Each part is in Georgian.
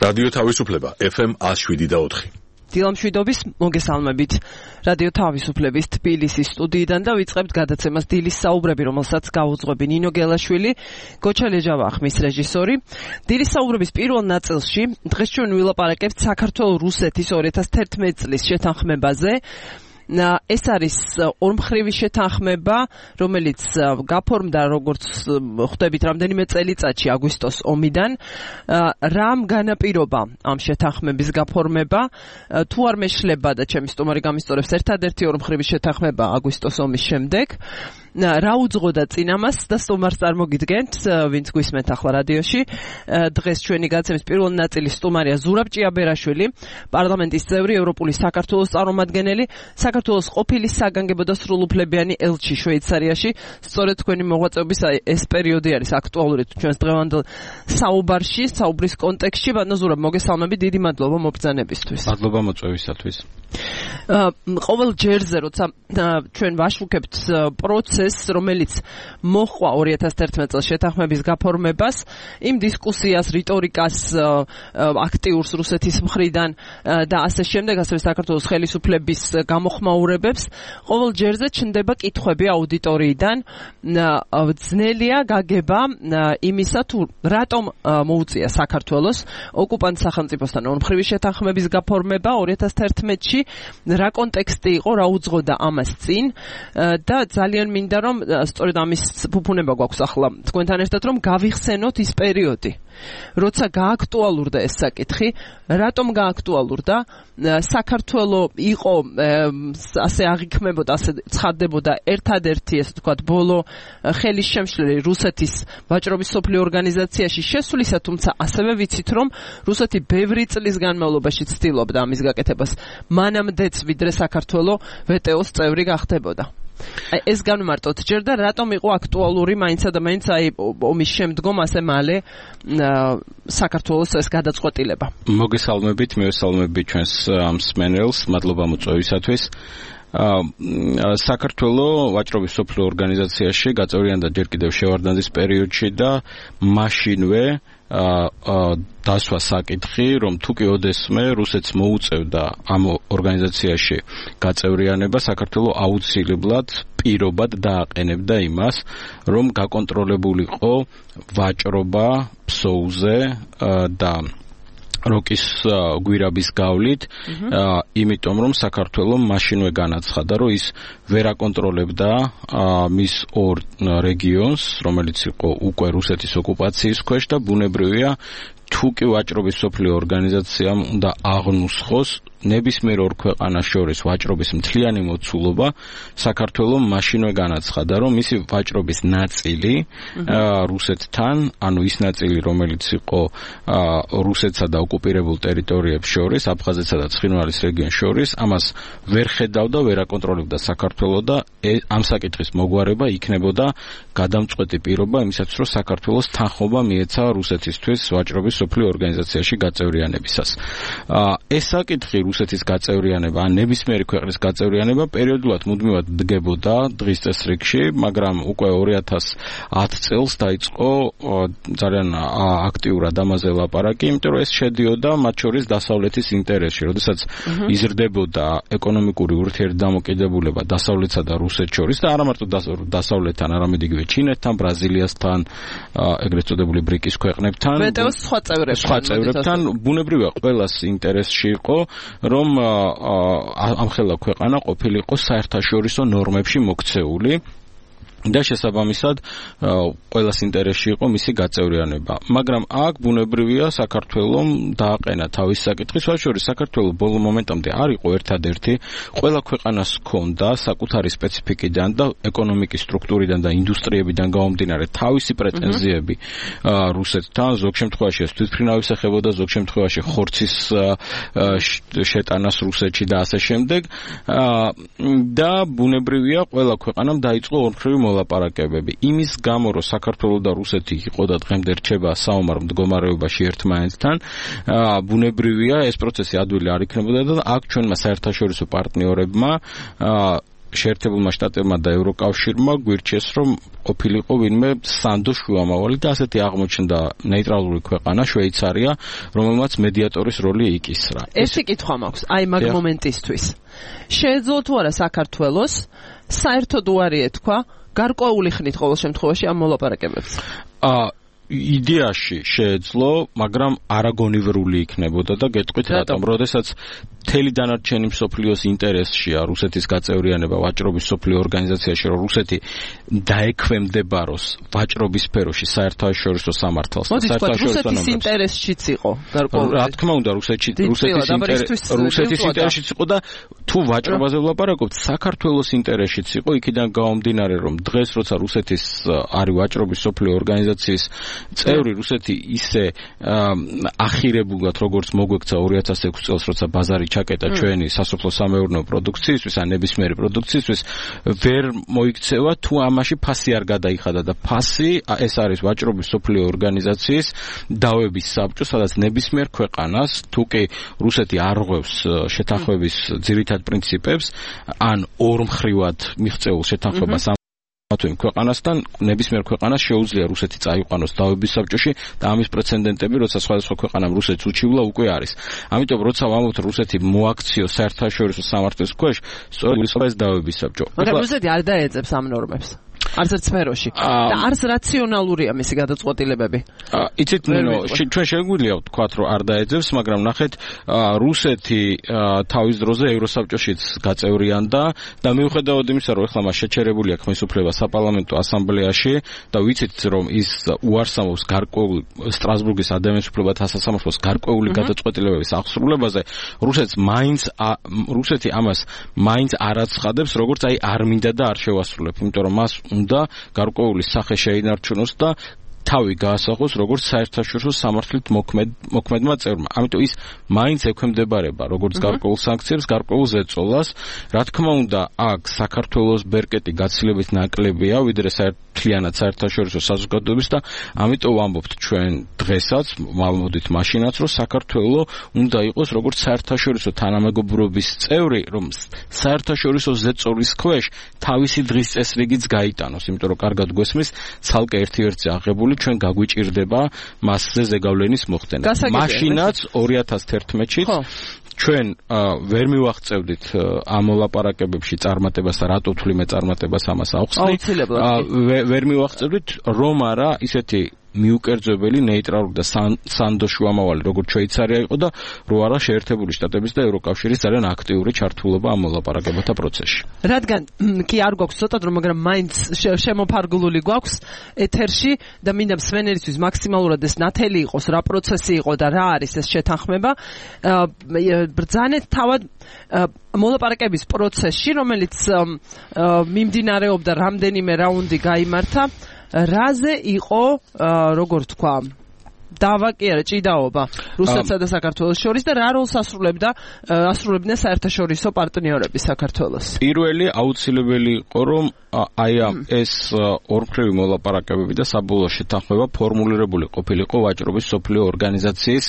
რადიო თავისუფლება FM 107.4. დილამშვიდობის მოგესალმებით. რადიო თავისუფლების თბილისის სტუდიიდან და ვიწყებთ გადაცემას დილის საუბრები, რომელსაც გაუძღვები ნინო გელაშვილი, გოჩა ლეჯავახმის რეჟისორი. დილის საუბრების პირველ ნაწილში დღეს ჩვენ ვილაპარაკებთ საქართველოს-რუსეთის 2011 წლის შეთანხმებაზე. ეს არის ორმხრივი შეთანხმება, რომელიც გაფორმდა როგორც ხვდებით რამდენიმე წელიწადში აგვისტოს ომიდან. რამ განაპირობა ამ შეთანხმების გაფორმება? თუ არ მეშლება და ჩემი სტუმარი გამისწორებს, ერთადერთი ორმხრივი შეთანხმება აგვისტოს ომის შემდეგ. რა უძღოდა წინ ამას და სტუმარს წარმოგიდგენთ, ვინც გვისმენთ ახლა რადიოში. დღეს ჩვენი გადაცემის პირველ ნაწილის სტუმარია ზურაბ ჭიაბერაშვილი, პარლამენტის წევრი, ევროპული საქართველოს წარმომადგენელი, საქართველოს ყოფილი საგანგებო და სრულუფლებიანი ელჩი შვეიცარიაში. სწორედ თქვენი მოღვაწეობის ეს პერიოდი არის აქტუალური ჩვენს დღევანდელ საუბარში, საუბრის კონტექსტში. ბატონო ზურაბ, მოგესალმებით, დიდი მადლობა მობრძანებისთვის. მადლობა მოწვევისათვის. ყოველ ჯერზე, როცა ჩვენ ვაშუქებთ პროცესს, რომელიც მოჰყვა 2011 წელს შეთანხმების გაფორმებას, იმ დისკუსიას, რიტორიკას აქტიურს რუსეთის მხრიდან და ასე შემდეგ, ასევე საქართველოს ხელისუფლების გამოხმაურებებს, ყოველ ჯერზე ჩნდება კითხვები აუდიტორიიდან. ძნელია გაგება იმისა, თუ რატომ მოუწია საქართველოს ოკუპანტ სახელმწიფოსთან ორმხრივი შეთანხმების გაფორმება 2011-ში, რა კონტექსტი იყო, რა უძღოდა ამას წინ და ძალიან მინდა რომ სწორედ ამის ფუფუნება გვაქვს ახლა თქვენთან ერთად, რომ გავიხსენოთ ის პერიოდი, როცა გააქტუალურდა ეს საკითხი. რატომ გააქტუალურდა? საქართველო იყო ასე აღიქმებოდა, ასე ცხადდებოდა ერთადერთი, ესე ვთქვათ, ბოლო ხელის შემშლელი რუსეთის ვაჭრობის სოფლიო ორგანიზაციაში შესვლისა, თუმცა ასევე ვიცით, რომ რუსეთი ბევრი წლის განმავლობაში ცდილობდა ამის გაკეთებას, მანამდეც ვიდრე საქართველო ვტო-ს წევრი გახდებოდა. ეს განმარტოთ ჯერ და რატომ იყო აქტუალური მაინცა და მაინც ომის შემდგომ ასე მალე საქართველოს ეს გადაწყვეტილება. მოგესალმებით, მივესალმებით ჩვენს მსმენელს, მადლობა მოწვევისათვის. საქართველო ვაჭრობის სოფლიო ორგანიზაციაში გაწევრიანდა ჯერ კიდევ შევარდნაძის პერიოდში და მაშინვე დასვა საკითხი, რომ თუ კი ოდესმე რუსეთს მოუწევდა ამ ორგანიზაციაში გაწევრიანება, საქართველო აუცილებლად პირობად დააყენებდა იმას, რომ გაკონტროლებულიყო ვაჭრობა ფსოუზე და როკის გვირაბის გავლით, იმიტომ რომ საქართველო მაშინვე განაცხადა, რომ ის ვერ აკონტროლებდა მის ორ რეგიონს, რომელიც იყო უკვე რუსეთის ოკუპაციის ქვეშ და ბუნებრივია, თუ კი ვაჭრობის სოფლიო ორგანიზაციამ უნდა აღნუსხოს ნებისმიერ ორ ქვეყანას შორის ვაჭრობის მთლიანი მოცულობა, საქართველო მაშინვე განაცხადა, რომ მისი ვაჭრობის ნაწილი რუსეთთან, ანუ ის ნაწილი, რომელიც იყო რუსეთსა და ოკუპირებულ ტერიტორიებს შორის, აფხაზეთსა და ცხინვალის რეგიონს შორის, ამას ვერ ხედავდა, ვერ აკონტროლებდა საქართველო და ამ საკითხის მოგვარება იქნებოდა გადამწყვეტი პირობა იმისათვის, რომ საქართველოს თანხმობა მიეცა რუსეთისთვის ვაჭრობის სოფლიო ორგანიზაციაში გაწევრიანებისას. ეს საკითხი რუსეთის გაწევრიანება, ან ნებისმიერი ქვეყნის გაწევრიანება პერიოდულად მუდმივად დგებოდა დღის წესრიგში, მაგრამ უკვე 2010 წელს დაიწყო ძალიან აქტიურად ამაზე ლაპარაკი, იმიტომ რომ ეს შედიოდა მათ შორის დასავლეთის ინტერესში, როდესაც იზრდებოდა ეკონომიკური ურთიერთდამოკიდებულება დასავლეთსა და რუსეთს შორის და არა მარტო დასავლეთთან, არამედ იგივე ჩინეთთან, ბრაზილიასთან, ეგრეთ წოდებული ბრიკის ქვეყნებთან, სხვა წევრებთან, ბუნებრივია ყველას ინტერესში იყო, რომ ამხელა ქვეყანა ყოფილიყო საერთაშორისო ნორმებში მოქცეული და შესაბამისად ყველას ინტერესში იყო მისი გაწევრიანება. მაგრამ აქ ბუნებრივია საქართველომ დააყენა თავის საკითხი, შორის საქართველო ბოლო მომენტამდე არ იყო ერთადერთი, ყველა ქვეყანას ჰქონდა საკუთარი სპეციფიკიდან და ეკონომიკის სტრუქტურიდან და ინდუსტრიებიდან გამომდინარე თავისი პრეტენზიები რუსეთთან, ზოგ შემთხვევაში ეს თვითმფრინავის ეხებოდა, ზოგ შემთხვევაში ხორცის შეტანას რუსეთში და ასე შემდეგ და ბუნებრივია ყველა ქვეყანამ დაიწყო ორმხრივი ლაპარაკებები. იმის გამო, რომ საქართველო და რუსეთი იყო და დღემდე რჩება საომარ მდგომარეობაში ერთმანეთთან, ბუნებრივია ეს პროცესი ადვილი არ იქნებოდა და აქ ჩვენმა საერთაშორისო პარტნიორებმა შეერთებულმა შტატებმა და ევროკავშირმა გვირჩიეს, რომ ყოფილიყო ვინმე სანდო შუამავალი და ასეთი აღმოჩნდა ნეიტრალური ქვეყანა შვეიცარია, რომელმაც მედიატორის როლი იკისრა. ერთი კითხვა მაქვს, აი მაგ მომენტისთვის. შეეძლო თუ არა საქართველოს საერთოდ უარი ეთქვა გარკვეული ხნით ყოველ შემთხვევაში ამ მოლაპარაკებებს? იდეაში შეეძლო, მაგრამ არაგონივრული იქნებოდა და გეტყვით რატომ? როდესაც მთელი დანარჩენი მსოფლიოს ინტერესშია რუსეთის გაწევრიანება ვაჭრობის მსოფლიო ორგანიზაციაში, რომ რუსეთი დაექვემდებაროს ვაჭრობის სფეროში საერთაშორისო სამართალს და საერთაშორისო ნორმებს. რუსეთის ინტერესშიც იყო გარკვეული. რა თქმა უნდა, რუსეთის ინტერესშიც იყო და თუ ვაჭრობაზე ვლაპარაკობთ, საქართველოს ინტერესშიც იყო, იქიდან გამომდინარე, რომ დღეს როცა რუსეთის არის ვაჭრობის მსოფლიო ორგანიზაციის წევრი, რუსეთი ისე ახირებულად, როგორც მოგვექცა 2006 წელს, როცა ბაზარი ჩაკეტა ჩვენი სასოფლო-სამეურნეო პროდუქციისთვის, ან ნებისმიერი პროდუქციისთვის, ვერ მოიქცევა თუ ამაში ფასი არ გადაიხადა და ფასი ეს არის ვაჭრობის მსოფლიო ორგანიზაციის დავების საბჭო, სადაც ნებისმიერ ქვეყანას, თუ კი რუსეთი არ ღვევს შეთანხმების ძირითად პრინციპებს, ან ორმხრივად მიღწეულ შეთანხმებას თუ იმ ქვეყანასთან, ნებისმიერ ქვეყანას შეუძლია რუსეთი წაიყვანოს დავების საბჭოში და ამის პრეცედენტები, როცა სხვადასხვა ქვეყანამ რუსეთს უჩივლა, უკვე არის. ამიტომ როცა ვამბობთ რუსეთი მოაქციოს საერთაშორისო სამართლის ქვეშ, სწორედ ეს დავების საბჭო. მაგრამ რუსეთი არ დაეძებს ამ ნორმებს. არც ერთ სფეროში და არც რაციონალურია მისი გადაწყვეტილებები. იცით, ჩვენ შეგვიძლია ვთქვათ, რომ არ დაეძებს, მაგრამ ნახეთ, რუსეთი თავის დროზე ევროსაბჭოშიც გაწევრიანდა და მიუხედავად იმისა, რომ ახლა მას შეჩერებული აქვს ხელისუფლება საპარლამენტო ასამბლეაში და ვიცით, რომ ის უარსამობს გარკვეულ სტრასბურგის ადამიანის უფლებათა სასამართლოს გარკვეული გადაწყვეტილებების აღსრულებაზე, რუსეთი ამას მაინც არ აცხადებს, როგორც აი არ მინდა და არ შევასრულებ, იმიტომ რომ მას უნდა გარკვეული სახე შეინარჩუნოს და თავი გაასახოს როგორც საერთაშორისო სამართლით მოქმედმა წევრმა. ამიტომ ის მაინც ექვემდებარება როგორც გარკვეულ სანქციებს, გარკვეულ ზეწოლას. რა თქმა უნდა, აქ საქართველოს ბერკეტი გაცილებით ნაკლებია, ვიდრე მთლიანად საერთაშორისო საზოგადოების და ამიტომ ვამბობთ ჩვენ დღესაც, ვამბობთ მაშინაც, რომ საქართველო უნდა იყოს როგორც საერთაშორისო თანამეგობრობის წევრი, რომ საერთაშორისო ზეწოლის ქვეშ თავისი დღის წესრიგიც გაიტანოს, იმიტომ რომ კარგად გვესმის, ცალკე ერთ-ერთი აღებული ჩვენ გაგვიჭირდება მასზე ზეგავლენის მოხდენა. მაშინაც 2011-ში ჩვენ ვერ მივაღწევდით ამ ლაპარაკებებში წარმატებას და რატო თვლიმე წარმატებას ამას აუხსნი. ვერ მივაღწევდით, რომ არა ისეთი მიუკერძებელი ნეიტრალური და სანდო შუამავალი როგორც შვეიცარია იყო და რო არა შეერთებული შტატების და ევროკავშირის ძალიან აქტიური ჩართულობა ამ ლაპარაკებათა პროცესში. რადგან კი არ გვაქვს ცოტა დრო, მაგრამ მაინც შემოფარგლული გვაქვს ეთერში და მინდა მსმენელისთვის მაქსიმალურად ეს ნათელი იყოს, რა პროცესი იყო და რა არის ეს შეთანხმება. ბრძანეთ თავად მოლაპარაკების პროცესში, რომელიც მიმდინარეობდა რამდენიმე რაუნდი გაიმართა. რაზე იყო, როგორ თქვა, დავა კი არა, ჭიდაობა რუსეთსა და საქართველოს შორის და რა როლს ასრულებდნენ საერთაშორისო პარტნიორები საქართველოს? პირველი აუცილებელი იყო, რომ აი ეს ორმხრივი მოლაპარაკებები და საბოლოო შეთანხმება ფორმულირებული ყოფილიყო ვაჭრობის მსოფლიო ორგანიზაციის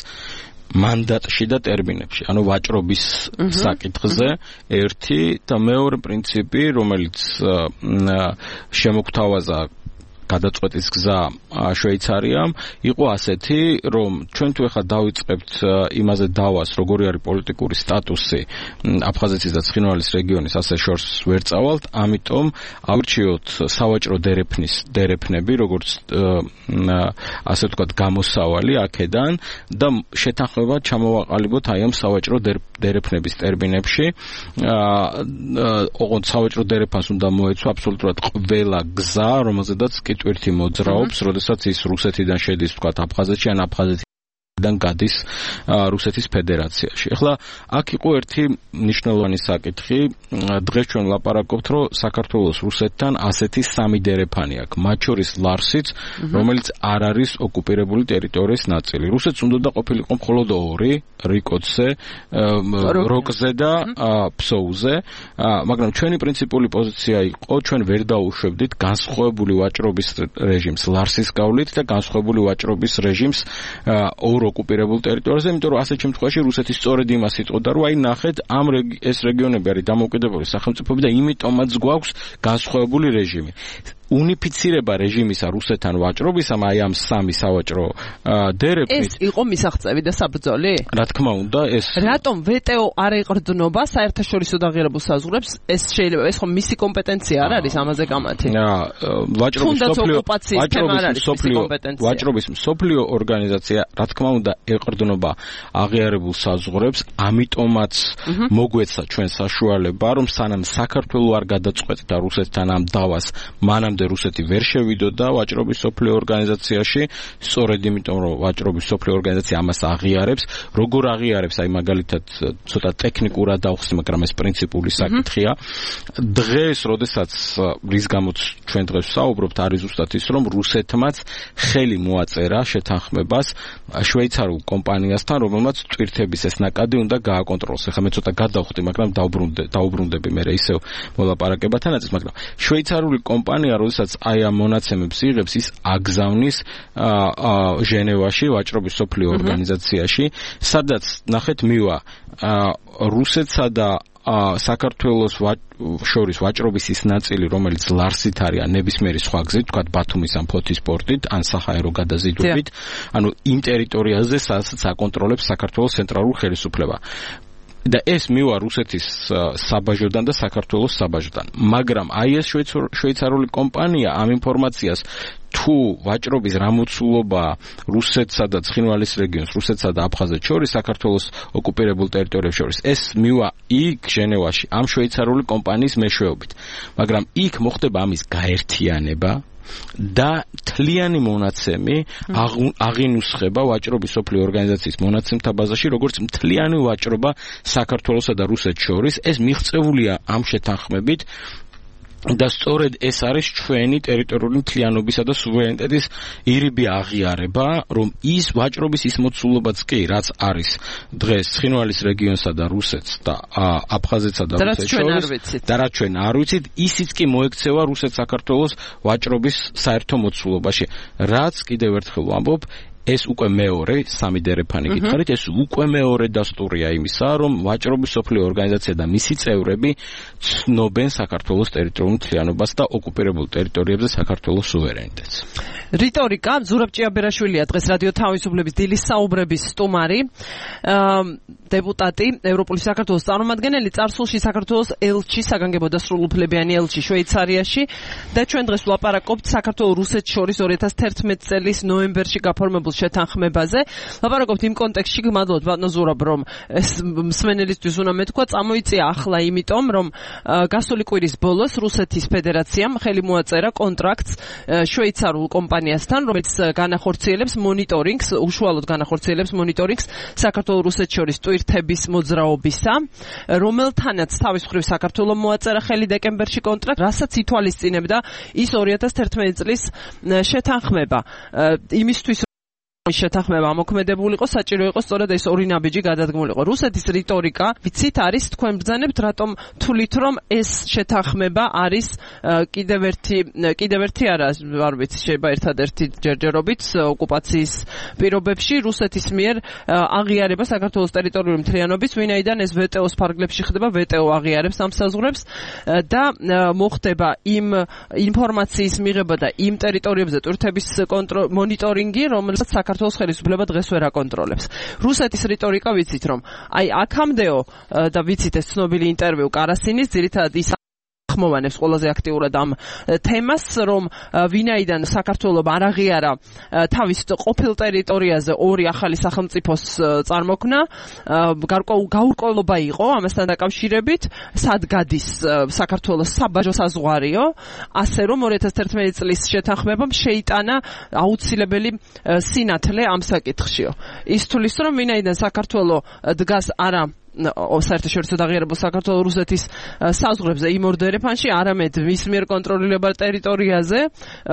მანდატში და ტერმინებში, ანუ ვაჭრობის საკითხზე ერთი და მეორე პრინციპი, რომელიც შემოგთავაზა გადაწყვეტის გზა შვეიცარიამ, იყო ასეთი, რომ ჩვენ თუ ახლა დავიწყებთ იმაზე დავას, როგორი არის პოლიტიკური სტატუსი აფხაზეთის და ცხინვალის რეგიონის, ასე შორს ვერ წავალთ, ამიტომ ავირჩიოთ სავაჭრო დერეფნები, როგორც ასე ვთქვათ, გამოსავალი აქედან და შეთანხმება ჩამოვაყალიბოთ აი ამ სავაჭრო დერეფნების ტერმინებში. ოღონდ სავაჭრო დერეფანს უნდა მოეცვა აბსოლუტურად ყველა გზა, რომელზედაც ტვირთი მოძრაობს, როდესაც ის რუსეთიდან შედის, ვთქვათ, აფხაზეთში ან აფხაზეთიდან გადის რუსეთის ფედერაციაში. ახლა აქ იყო ერთი მნიშვნელოვანი საკითხი, დღეს ჩვენ ვლაპარაკობთ, რომ საქართველოს რუსეთთან ასეთი სამი დერეფანი აქვს, მათ შორის ლარსიც, რომელიც არ არის ოკუპირებული ტერიტორიის ნაწილი. რუსეთს უნდა ყოფილიყო მხოლოდ ორი, რიკოცზე, როკზე და ფსოუზე, მაგრამ ჩვენი პრინციპული პოზიცია იყო, ჩვენ ვერ დაუშვებდით განსხვავებული ვაჭრობის რეჟიმს ლარსის გავლით და განსხვავებული ვაჭრობის რეჟიმს ორ ჩრდილო ოკუპირებულ ტერიტორიაზე, იმიტომ რომ ასეთ შემთხვევაში რუსეთი სწორედ იმას იტყოდა, რომ აი ნახეთ, ეს რეგიონები არის დამოუკიდებელი სახელმწიფოები და იმიტომაც გვაქვს განსხვავებული რეჟიმი. უნიფიცირება რეჟიმისა რუსეთთან ვაჭრობისამ აი ამ სამი სავაჭრო დერეფით ეს იყო მისაღწევი და საბრძოლი? რა თქმა უნდა, ეს რატომ ვეტო არ ეყრდნობა საერთაშორისო დაღირებულ საზღვრებს? ეს შეიძლება ეს ხომ მისი კომპეტენცია არ არის ამაზე გამათი? ვაჭრობის მსოფლიო ორგანიზაცია რა თქმა უნდა ეყრდნობა აღიარებულ საზღვრებს, ამიტომაც მოგვეცა ჩვენ საშუალება, რომ სანამ საქართველო არ გადაწყვეტდა რუსეთთან ამ დავას, მანამდე რუსეთი ვერ შევიდოდა ვაჭრობის მსოფლიო ორგანიზაციაში, სწორედ იმიტომ რომ ვაჭრობის მსოფლიო ორგანიზაცია ამას აღიარებს, როგორ აღიარებს, აი მაგალითად ცოტა ტექნიკურად დავხსნი, მაგრამ ეს პრინციპული საკითხია. დღეს, როდესაც რის გამოც ჩვენ დღეს ვსაუბრობთ, არის ზუსტად ის, რომ რუსეთმაც ხელი მოაწერა შეთანხმებას შვეიცარიულ კომპანიასთან, რომელმაც ტვირთების ეს ნაკადი უნდა გააკონტროლოს. ეხლა მე ცოტა გადავხდი, მაგრამ დაუბრუნდები მე ისევ მოლაპარაკებათანაც, მაგრამ შვეიცარიული კომპანია როდესაც აი ამ მონაცემებს იღებს, ის აგზავნის ჟენევაში ვაჭრობის მსოფლიო ორგანიზაციაში, სადაც ნახეთ მივა რუსეთსა და საქართველოს შორის ვაჭრობის ის ნაწილი, რომელიც ლარსით არის ან ნებისმიერი სხვა გზით, თქვათ ბათუმის ან ფოთის პორტით, ან საჰაერო გადაზიდვებით, ანუ იმ ტერიტორიაზე, სადაც აკონტროლებს საქართველოს ცენტრალური ხელისუფლება. და ეს მივა რუსეთის საბაჟოდან და საქართველოს საბაჟოდან. მაგრამ აი ეს შვეიცარიული კომპანია ამ ინფორმაციას თუ ვაჭრობის რამოცულობა რუსეთსა და ცხინვალის რეგიონს, რუსეთსა და აფხაზეთს შორის, საქართველოს ოკუპირებულ ტერიტორიებს შორის, ეს მივა იქ ჟენევაში ამ შვეიცარიული კომპანიის მეშვეობით. მაგრამ იქ მოხდება ამის გაერთიანება და თლიანი მონაცემი აღინუსხება ვაჭრობის მსოფლიო ორგანიზაციის მონაცემთა ბაზაში, როგორც მთლიანი ვაჭრობა საქართველოსა და რუსეთს შორის. ეს მიღწეულია ამ შეთანხმებით და სწორედ ეს არის ჩვენი ტერიტორიული მთლიანობისა და სუვერენიტეტის ირიბი აღიარება, რომ ის ვაჭრობის ის მოცულობაც კი, რაც არის დღეს ცხინვალის რეგიონსა და რუსეთს და აფხაზეთსა და რუსეთს შორის და რაც ჩვენ არ ვიცით, ისიც კი მოექცევა რუსეთ-საქართველოს ვაჭრობის საერთო მოცულობაში. რაც კიდევ ერთხელ ვამბობ, ეს უკვე მეორე, სამი დერეფანი გითხარით, ეს უკვე მეორე დასტურია იმისა, რომ ვაჭრობის მსოფლიო ორგანიზაცია და მისი წევრები ცნობენ საქართველოს ტერიტორიულ მთლიანობას და ოკუპირებულ ტერიტორიებზე საქართველოს სუვერენიტეტს. რიტორიკა, ზურაბ ჭიაბერაშვილია დღეს რადიო თავისუფლების დილის საუბრების სტუმარი, დეპუტატი, ევროპული საქართველოს წარმომადგენელი, წარსულში საქართველოს ელჩი, საგანგებო და სრულუფლებიანი ელჩი შვეიცარიაში და ჩვენ დღეს ვლაპარაკობთ საქართველოს რუსეთს შორის 2011 წლის ნოემბერში გაფორმებულ შეთანხმებაზე. ლაპარაკობთ იმ კონტექსტში, გმადლობთ ბატონო ზურაბ, რომ ეს მსმენელისთვის უნდა მეთქვა, წამოიწია ახლა იმიტომ, რომ გასული კვირის ბოლოს რუსეთის ფედერაციამ ხელი მოაწერა კონტრაქტს შვეიცარულ კომპანიასთან, რომელიც განახორციელებს მონიტორინგს, უშუალოდ განახორციელებს მონიტორინგს საქართველოს რუსეთს შორის ტვირთების მოძრაობისა, რომელთანაც თავის მხრივ საქართველოს მოაწერა ხელი დეკემბერში კონტრაქტს, რასაც ითვალისწინებდა ის 2011 წლის შეთანხმება. იმისთვის შეთანხმება ამოქმედებულიყო, საჭირო იყო სწორედ ეს ორი ნაბიჯი გადადგმულიყო. რუსეთის რიტორიკა, ვიცით, არის თქვენ ბრძანებთ, რატომ თulit რომ ეს შეთანხმება არის კიდევ ერთი არა, არ ვიცი, შეიძლება ერთადერთი ჯერჯერობით ოკუპაციის პირობებში რუსეთის მიერ აღიარება საქართველოს ტერიტორიული მთლიანობის, ვინაიდან ეს ვეტეოს ფარგლებში ხდება, ვეტეო აღიარებს ამ საზღვრებს და მოხდება იმ ინფორმაციის მიღება და იმ ტერიტორიებზე ტვირთების მონიტორინგი, რომელსაც საქართველოს ხელისუფლება დღეს ვერ აკონტროლებს. რუსეთის რიტორიკა ვიცით, რომ აი აქამდეო და ვიცით ეს ცნობილი ინტერვიუ კარასინის, ძირითადად ის ხმოვანებს ყველაზე აქტიურად ამ თემას, რომ ვინაიდან საქართველოს არ აღიარა თავის ყოფილ ტერიტორიაზე ორი ახალი სახელმწიფოს წარმოქმნა, გაურკვევლობა იყო ამასთან დაკავშირებით, სად გადის საქართველოს საბაჟო საზღვარიო, ასე რომ 2011 წლის შეთანხმებამ შეიტანა აუცილებელი სინათლე ამ საკითხშიო. ის თulis, რომ ვინაიდან საქართველოს დგას არა საერთაშორისო დაღიარებულ საქართველოს რუსეთის საზღვრებზე იმ ორ დერეფანში, არამედ მის მიერ კონტროლირებულ ტერიტორიაზე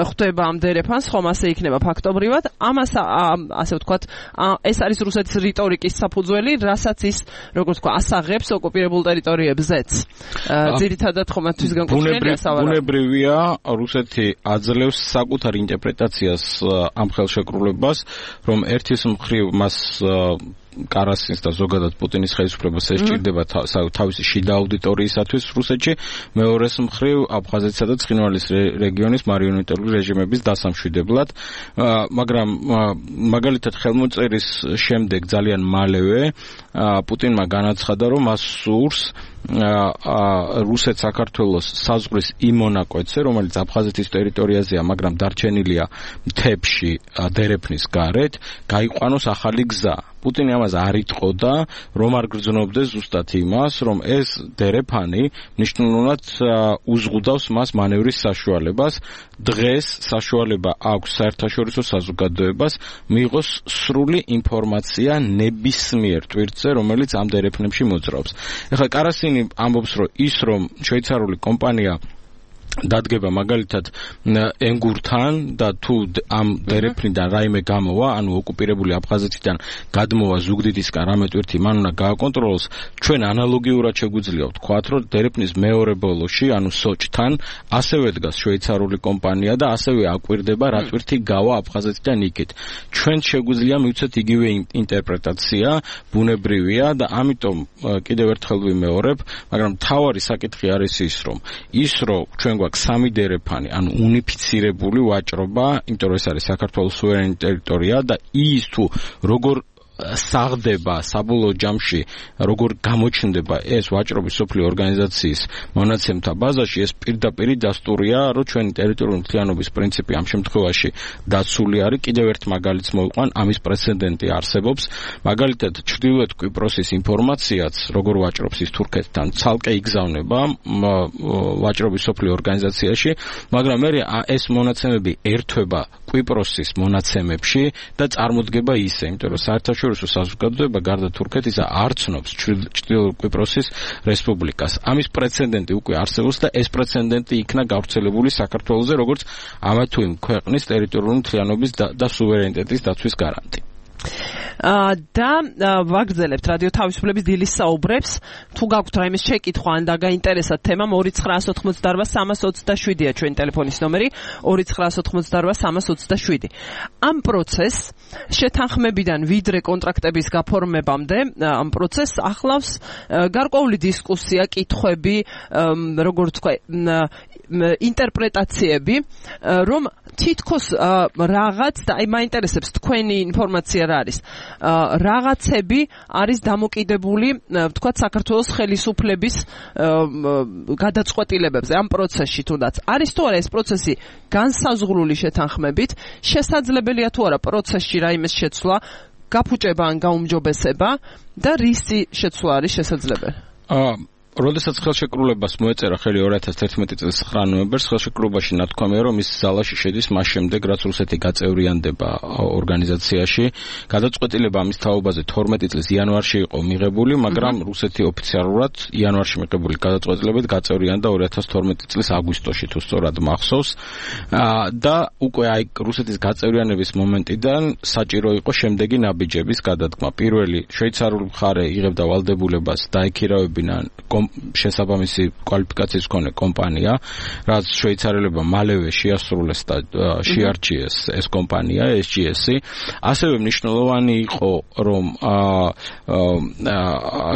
ხვდება ამ დერეფანს, ხომ ასე იქნება ფაქტობრივად. ამას ასე ვთქვათ, ეს არის რუსეთის რიტორიკის საფუძველი, რასაც ის, როგორც ვთქვა, ასაღებს ოკუპირებულ ტერიტორიებზეც. ძირითადად ხომ მათთვის განკუთვნილია სავარაუდო. ბუნებრივია, რუსეთი აძლევს საკუთარ ინტერპრეტაციას ამ ხელშეკრულებას, რომ ერთის მხრივ მას კარასინს და ზოგადად პუტინის ხელისუფლებას ესჭირდება თავისი შიდა აუდიტორიისათვის რუსეთში, მეორეს მხრივ აფხაზეთსა და ცხინვალის რეგიონის მარიონეტული რეჟიმების დასამშვიდებლად, მაგრამ მაგალითად ხელმოწერის შემდეგ ძალიან მალევე პუტინმა განაცხადა, რომ მას სურს რუსეთ-საქართველოს საზღვრის იმ მონაკვეთზე, რომელიც აფხაზეთის ტერიტორიაზეა, მაგრამ დარჩენილია მთებში დერეფნის გარეთ, გაიყვანოს ახალი გზა. პუტინი ამას არ იტყოდა, რომ არ გრძნობდეს ზუსტად იმას, რომ ეს დერეფანი მნიშვნელოვნად უზღუდავს მას მანევრის საშუალებას. დღეს საშუალება აქვს საერთაშორისო საზოგადოებას მიიღოს სრული ინფორმაცია ნებისმიერ ტვირთზე, რომელიც ამ დერეფნებში მოძრაობს. ეხლა კარასინი ამბობს, რომ ის რომ შვეიცარიული კომპანია დადგება მაგალითად ენგურთან და თუ ამ დერეფნიდან რაიმე გამოვა, ანუ ოკუპირებული აფხაზეთიდან გადმოვა ზუგდიდისკენ რამე ტვირთი მან უნდა გააკონტროლოს, ჩვენ ანალოგიურად შეგვიძლია ვთქვათ, რომ დერეფნის მეორე ბოლოში, ანუ სოჭთან, ასევე დგას შვეიცარიული კომპანია და ასევე აკვირდება რა ტვირთი გავა აფხაზეთიდან იქით. ჩვენ შეგვიძლია მივცეთ იგივე ინტერპრეტაცია, ბუნებრივია და ამიტომ კიდევ ერთხელ ვიმეორებ, მაგრამ მთავარი საკითხი არის ის, რომ ჩვენ გვაქვს სამი დერეფანი, ანუ უნიფიცირებული ვაჭრობა, იმიტომ რომ ეს არის საქართველოს სუვერენი ტერიტორია და ის თუ როგორ საღდება საბოლოო ჯამში, როგორ გამოჩნდება ეს ვაჭრობის სოფლიო ორგანიზაციის მონაცემთა ბაზაში, ეს პირდაპირ დასტურია, რომ ჩვენი ტერიტორიული მთლიანობის პრინციპი ამ შემთხვევაში დაცული არის. კიდევ ერთ მაგალითს მოვიყვან, ამის პრეცედენტი არსებობს. მაგალითად, ჩრდილოეთ კვიპროსის ინფორმაციაც, როგორ ვაჭრობს ის თურქეთთან, ცალკე იგზავნება ვაჭრობის სოფლიო ორგანიზაციაში, მაგრამ მე ეს მონაცემები ერთვება კვიპროსის მონაცემებში და წარმოდგება ისე, იმიტომ რომ საერთაშორისო საზოგადოება გარდა თურქეთისა არ ცნობს ჩრდილოეთ კვიპროსის რესპუბლიკას. ამის პრეცედენტი უკვე არსებობს და ეს პრეცედენტი იქნა გავრცელებული საქართველოზე, როგორც ამა თუ იმ ქვეყნის ტერიტორიული მთლიანობის და სუვერენიტეტის დაცვის გარანტი. და ვაგრძელებთ რადიო თავისუფლების დილის საუბრებს. თუ გაქვთ რაიმე შეკითხვა ან დაგაინტერესათ თემა, 2988327-ია ჩვენი ტელეფონის ნომერი, 2988327. ამ პროცესს შეთანხმებიდან ვიდრე კონტრაქტების გაფორმებამდე, ამ პროცესს ახლავს გარკვეული დისკუსია, კითხვები, როგორც თქვა, ინტერპრეტაციები, რომ თითქოს რაღაც და აი მაინტერესებს თქვენი ინფორმაცია რა არის. რაღაცები არის დამოკიდებული, ვთქვათ, საქართველოს ხელისუფლების გადაწყვეტილებებზე ამ პროცესში თუნდაც. არის თუ არა ეს პროცესი განსაზღვრული შეთანხმებით, შესაძლებელია თუ არა პროცესში რაიმეს შეცვლა, გაფუჭება ან გაუმჯობესება და რისი შეცვლა არის შესაძლებელი? როდესაც ხელშეკრულებას მოეწერა ხელი 2011 წლის 9 ნოემბერს, ხელშეკრულებაში ნათქვამია, რომ ის ძალაში შედის მას შემდეგ, რაც რუსეთი გაწევრიანდება ორგანიზაციაში. გადაწყვეტილება ამის თაობაზე 12 წლის იანვარში იყო მიღებული, მაგრამ რუსეთი ოფიციალურად იანვარში მიღებული გადაწყვეტილებით გაწევრიანდა 2012 წლის აგვისტოში, თუ სწორად მახსოვს. და უკვე აი რუსეთის გაწევრიანების მომენტიდან საჭირო იყო შემდეგი ნაბიჯების გადადგმა. პირველი, შვეიცარიული მხარე იღებდა ვალდებულებას დაექირავებინა შესაბამისი კვალიფიკაციის მქონე კომპანია, რაც შვეიცარიელებმა მალევე შეასრულეს და შეარჩიეს ეს კომპანია, SGS-ი. ასევე მნიშვნელოვანი იყო, რომ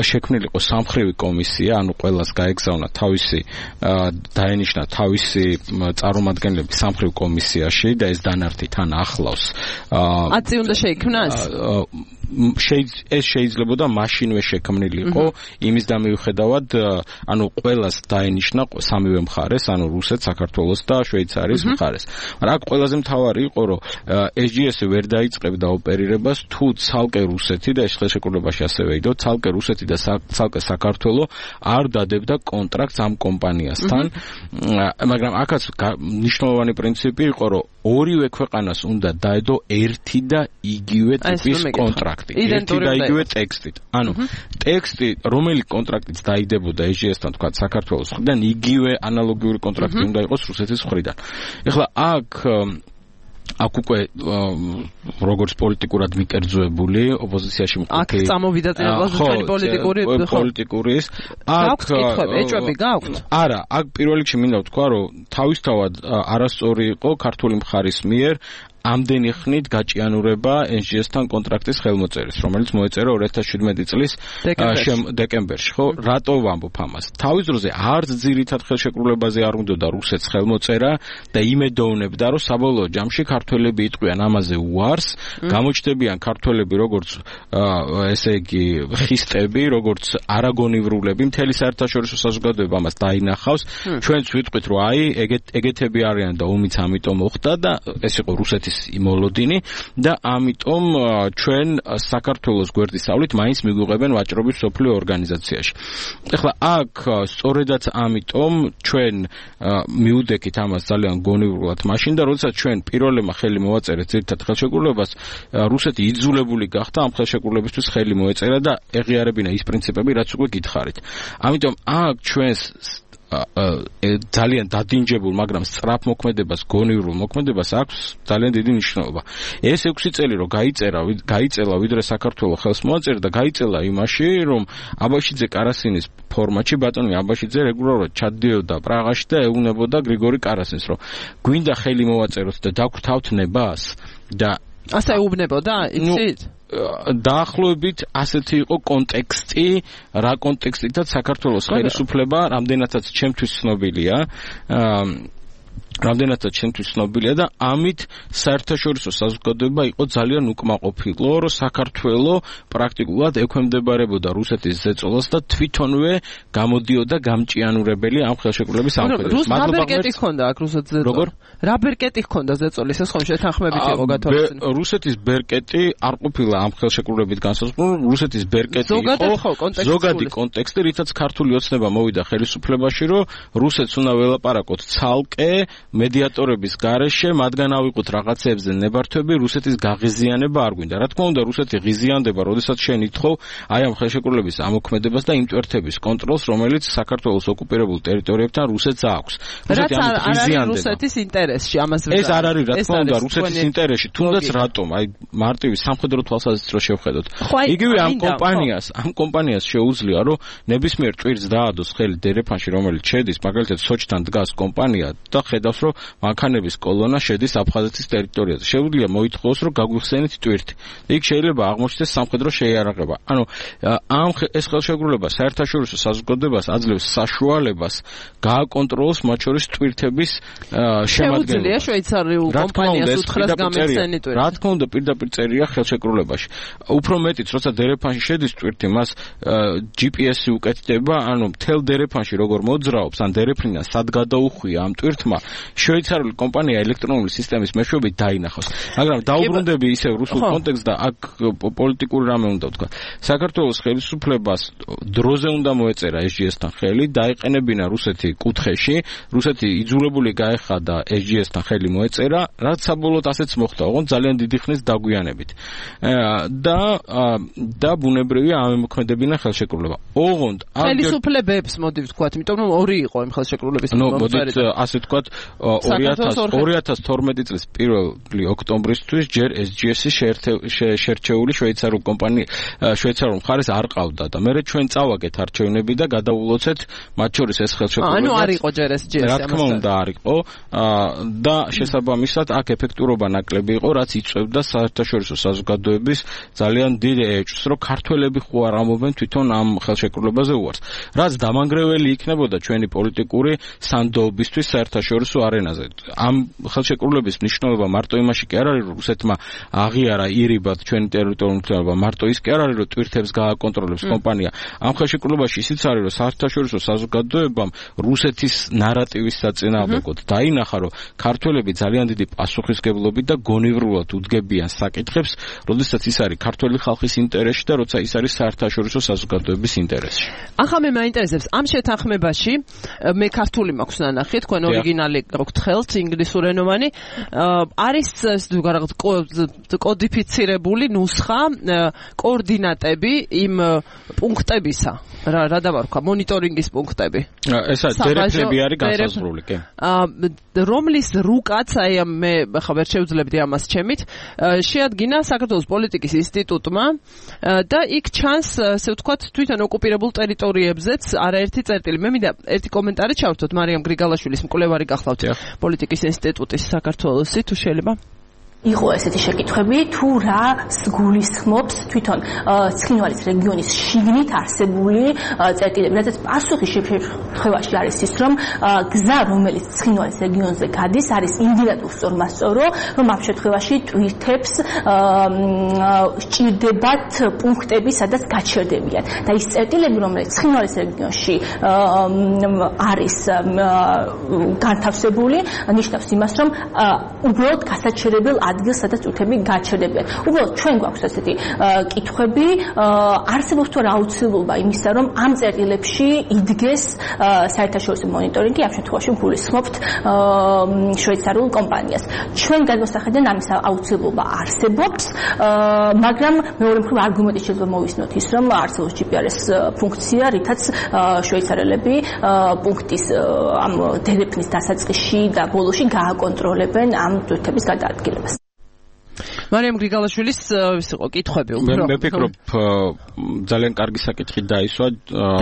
შექმნილიყო სამხრივი კომისია, ანუ ყველას გაეგზავნა თავისი დაენიშნა თავისი წარმომადგენლები სამხრივ კომისიაში და ეს დანართი თან ახლავს. 10 უნდა შეიქმნას? ეს შეიძლებოდა მაშინვე შექმნილიყო, იმის და მიუხედავად, ანუ ყველას დაენიშნა სამივე მხარეს, ანუ რუსეთს, საქართველოს და შვეიცარიის მხარეს. მაგრამ აქ ყველაზე მთავარი იყო, რომ SGS-ი ვერ დაიწყებდა ოპერირებას, თუ ცალკე რუსეთი და ეს ხელშეკრულებაში ასევე იყო, ცალკე რუსეთი და ცალკე საქართველო არ დადებდა კონტრაქტს ამ კომპანიასთან. მაგრამ აქაც მნიშვნელოვანი პრინციპი იყო, რომ ორივე ქვეყანას უნდა დაედო ერთი და იგივე ტიპის კონტრაქტი, ერთი და იგივე ტექსტით. ანუ ტექსტი, რომელი კონტრაქტიც დაიდებოდა EGS-თან, თქვა საქართველოს მხრიდან, იგივე ანალოგიური კონტრაქტი უნდა იყოს რუსეთის მხრიდან. ეხლა აქ უკვე როგორც პოლიტიკურად მიკერძოებული ოპოზიციაში მყოფი აქ წამოვიდა წინაპრობები პოლიტიკურის აქ ეჭვები გაქვთ? არა, აქ პირველ რიგში მინდა ვთქვა, რომ თავისთავად არასწორი იყო ქართული მხარის მიერ ამდენი ხნით გაჭიანურება NGS-თან კონტრაქტის ხელმოწერის, რომელიც მოეწერა 2017 წლის დეკემბერში, ხო? რატო ვამბობ ამას? თავის დროზე არც ძირითად ხელშეკრულებაზე არ უნდოდა რუსეთს ხელმოწერა და იმედოვნებდა, რომ საბოლოო ჯამში ქართველები იტყვიან ამაზე უარს, გამოჩნდებიან ქართველები როგორც ესე იგი ხისტები, როგორც არაგონივრულები, მთელი საერთაშორისო საზოგადოება ამას დაინახავს. ჩვენც ვიტყვით, რომ აი ეგეთები არიან და ომიც ამიტომ მოხდა და ეს იყო რუსეთის იმოლოდინი და ამიტომ ჩვენ საქართველოს გვერდისავლით მაინც მიგვიღებენ ვაჭრობის მსოფლიო ორგანიზაციაში. ეხლა აქ სწორედაც ამიტომ ჩვენ მიუდექით ამას ძალიან გონივრულად მაშინ და როდესაც ჩვენ პირველმა ხელი მოვაწერეთ ძირითად ხელშეკრულებას, რუსეთი იძულებული გახდა ამ ხელშეკრულებისთვის ხელი მოეწერა და ეღიარებინა ის პრინციპები, რაც უკვე გითხარით. ამიტომ აქ ჩვენს ძალიან დადინჯებულ, მაგრამ სწრაფ მოქმედებას, გონივრულ მოქმედებას აქვს ძალიან დიდი მნიშვნელობა. ეს 6 წელი რომ გაიწელა, ვიდრე საქართველოს ხელს მოაწერა და გაიწელა იმაში, რომ აბაშიძე კარასინის ფორმატში ბატონი აბაშიძე რეგულარულად ჩადიოდა პრაღაში და ეუბნებოდა გრიგორი კარასინს, რომ გვინდა ხელი მოვაწეროთ და დაგვთავთ ნებას და ასე ეუბნებოდა, იცით? დაახლოებით ასეთი იყო კონტექსტი, რა კონტექსტითაც საქართველოს ხელისუფლება რამდენადაც ჩემთვის ცნობილია და ამით საერთაშორისო საზოგადოება იყო ძალიან უკმაყოფილო, რომ საქართველო პრაქტიკულად ექვემდებარებოდა რუსეთის ზეწოლას და თვითონვე გამოდიოდა გამჭიანურებელი ამ ხელშეკრულების ამოქმედებას. რა ბერკეტი ჰქონდა აქ რუსეთის ზეწოლა? როგორ? რა ბერკეტი ჰქონდა ზეწოლის, ეს ხომ შეთანხმებით იყო გათვალისწინებული? რუსეთის ბერკეტი არ ყოფილა ამ ხელშეკრულებით განსაზღვრული, რუსეთის ბერკეტი იყო ზოგადი კონტექსტი, რითაც ქართული ოცნება მოვიდა ხელისუფლებაში, რომ რუსეთს უნდა ველაპარაკოთ ცალკე მედიატორების გარეშე, მათგან ავიღოთ რაღაცებზე ნებართვები, რუსეთის გაღიზიანება არ გვინდა. რა თქმა უნდა, რუსეთი ღიზიანდება, როდესაც შენ ითხოვ აი ამ ხელშეკრულების ამოქმედებას და იმ ტვერთების კონტროლს, რომელიც საქართველოს ოკუპირებულ ტერიტორიებთან რუსეთს აქვს. რუსეთი ამით ღიზიანდება. რუსეთის ინტერესში ამას ვერ. ეს არ არის, რა თქმა უნდა, რუსეთის ინტერესში, თუნდაც რატომ? აი მარტივი სამხედრო თვალსაზრისით რო შევხედოთ. იგივე ამ კომპანიას შეუძლია, რომ ნებისმიერ ტვირთს დაადოს ხელი დერეფანში, რომელიც შედის, მაგალითად სოჭთან დგას კომპანია და ხედავს, რომ მანქანების კოლონა შედის აფხაზეთის ტერიტორიაზე. შეუძლია მოითხოვოს, რომ გაგვიხსენით ტვირთი. იქ შეიძლება აღმოჩნდეს სამხედრო შეიარაღება. ანუ ეს ხელშეკრულება საერთაშორისო საზოგადოებას აძლევს საშუალებას გააკონტროლოს მათ შორის ტვირთების შემადგენლობა. შეუძლია შვეიცარიულ კომპანიას უთხრას გამიხსენი ტვირთი. რა თქმა უნდა, პირდაპირ წერია ხელშეკრულებაში. უფრო მეტიც, როცა დერეფანში შედის ტვირთი, მას GPS-ი უკეთდება, ანუ მთელ დერეფანში როგორ მოძრაობს, ან დერეფნიდან სად გადაუხვია ამ ტვირთმა, შვეიცარიული კომპანია ელექტრონული სისტემის მეშვეობით დაინახავს. მაგრამ დაუბრუნდები ისევ რუსულ კონტექსტს და აქ პოლიტიკური რამე უნდა ვთქვა. საქართველოს ხელისუფლებას დროზე უნდა მოეწერა SGS-თან ხელი, დაეყენებინა რუსეთი კუთხეში, რუსეთი იძულებული გაეხადა SGS-თან ხელი მოეწერა, რაც საბოლოოდ ასეც მოხდა, ოღონდ ძალიან დიდი ხნის დაგვიანებით. და ბუნებრივია ამემოქმედებინა ხელშეკრულება. ოღონდ ხელისუფლებებს მოდი ვთქვათ, იმიტომ რომ ორი იყო იმ ხელშეკრულების მოდით ასე ვთქვათ 2012 წლის 1 ოქტომბრისთვის ჯერ SGS-ი შერჩეული შვეიცარიულ მხარეს არ ყავდა და მერე ჩვენ წავაგეთ არჩევნები და გადაულოცეთ მათ შორის ეს ხელშეკრულება. ანუ არ იყო ჯერ SGS-ი. რა თქმა უნდა არ იყო და შესაბამისად აქ ეფექტურობა ნაკლები იყო, რაც იწვევდა საერთაშორისო საზოგადოების ძალიან დიდ ეჭვს, რომ ქართველები ხო არ ამობენ თვითონ ამ ხელშეკრულებაზე უარს. რაც დამანგრეველი იქნებოდა ჩვენი პოლიტიკური სანდოობისთვის საერთაშორისო არენაზე. ამ ხელშეკრულების მნიშვნელობა მარტო იმაში კი არ არის, რომ რუსეთმა აღიარა ირიბად ჩვენი ტერიტორიული მთლიანობა, მარტო ის კი არ არის, რომ ტვირთებს გააკონტროლებს კომპანია. ამ ხელშეკრულებაში ისიც არის, რომ საერთაშორისო საზოგადოებამ რუსეთის ნარატივის საწინააღმდეგოდ დაინახა, რომ ქართველები ძალიან დიდი პასუხისმგებლობით და გონივრულად უდგებიან საკითხებს, როდესაც ის არის ქართველი ხალხის ინტერესში და როცა ის არის საერთაშორისო საზოგადოების ინტერესში. ახლა მე მაინტერესებს ამ შეთანხმებაში, მე ქართული მაქვს ნანახი, თქვენ ორიგინალი ჟურნალი გაქვთ ხელთ ინგლისურენოვანი არის რაღაც კოდიფიცირებული ნუსხა კოორდინატები იმ პუნქტებისა რა დავარქვა მონიტორინგის პუნქტები ესა დერეფნები არის განსაზღვრული კი რომლის რუკაც აი მე ხა ვერ შევძლებდი ამას ჩემით შეადგინა საქართველოს პოლიტიკის ინსტიტუტმა და იქ ჩანს ასე ვთქვათ თვითონ ოკუპირებულ ტერიტორიებზეც არაერთი წერტილი მე მინდა ერთი კომენტარი ჩავთოთ მარიამ გრიგალაშვილის მკვლევარი გახლავთ პოლიტიკის ინსტიტუტის საქართველოსი თუ შეიძლება იყო ესეთი შეკითხვები თუ რა გულისხმობს თვითონ ცხინვალის რეგიონის შიგნით არსებული წერტილები რადგან პასუხი შემთხვევაში არის ის რომ გზა რომელიც ცხინვალის რეგიონზე გადის არის იმდენად უსწორმასწორო რომ ამ შემთხვევაში ტვირთებს სჭირდებათ პუნქტები სადაც გაჩერდებიან და ის წერტილები რომელიც ცხინვალის რეგიონში არის განთავსებული ნიშნავს იმას რომ უბრალოდ გასაჩერებელ ადგილს სადაც ტვირთები გაჩერდებიან. უბრალოდ ჩვენ გვაქვს ასეთი კითხვები, არსებობს თუ რა აუცილებლობა იმისა, რომ ამ წერტილებში იდგეს საერთაშორისო მონიტორინგი, ამ შემთხვევაში გულისხმობთ შვეიცარიულ კომპანიას. ჩვენ გადმოსახედიდან ამის აუცილებლობა არსებობს, მაგრამ მეორე მხრივ არგუმენტი შეიძლება მოვისნოთ ის, რომ არსებობს GPRS ფუნქცია, რითაც შვეიცარიელები პუნქტის ამ დერეფნის დასაწყისში და ბოლოში გააკონტროლებენ ამ ტვირთების გადაადგილებას. მარიამ გრიგალაშვილის ის იყო კითხვები უფრო. მე ვფიქრობ ძალიან კარგი საკითხი დაისვა.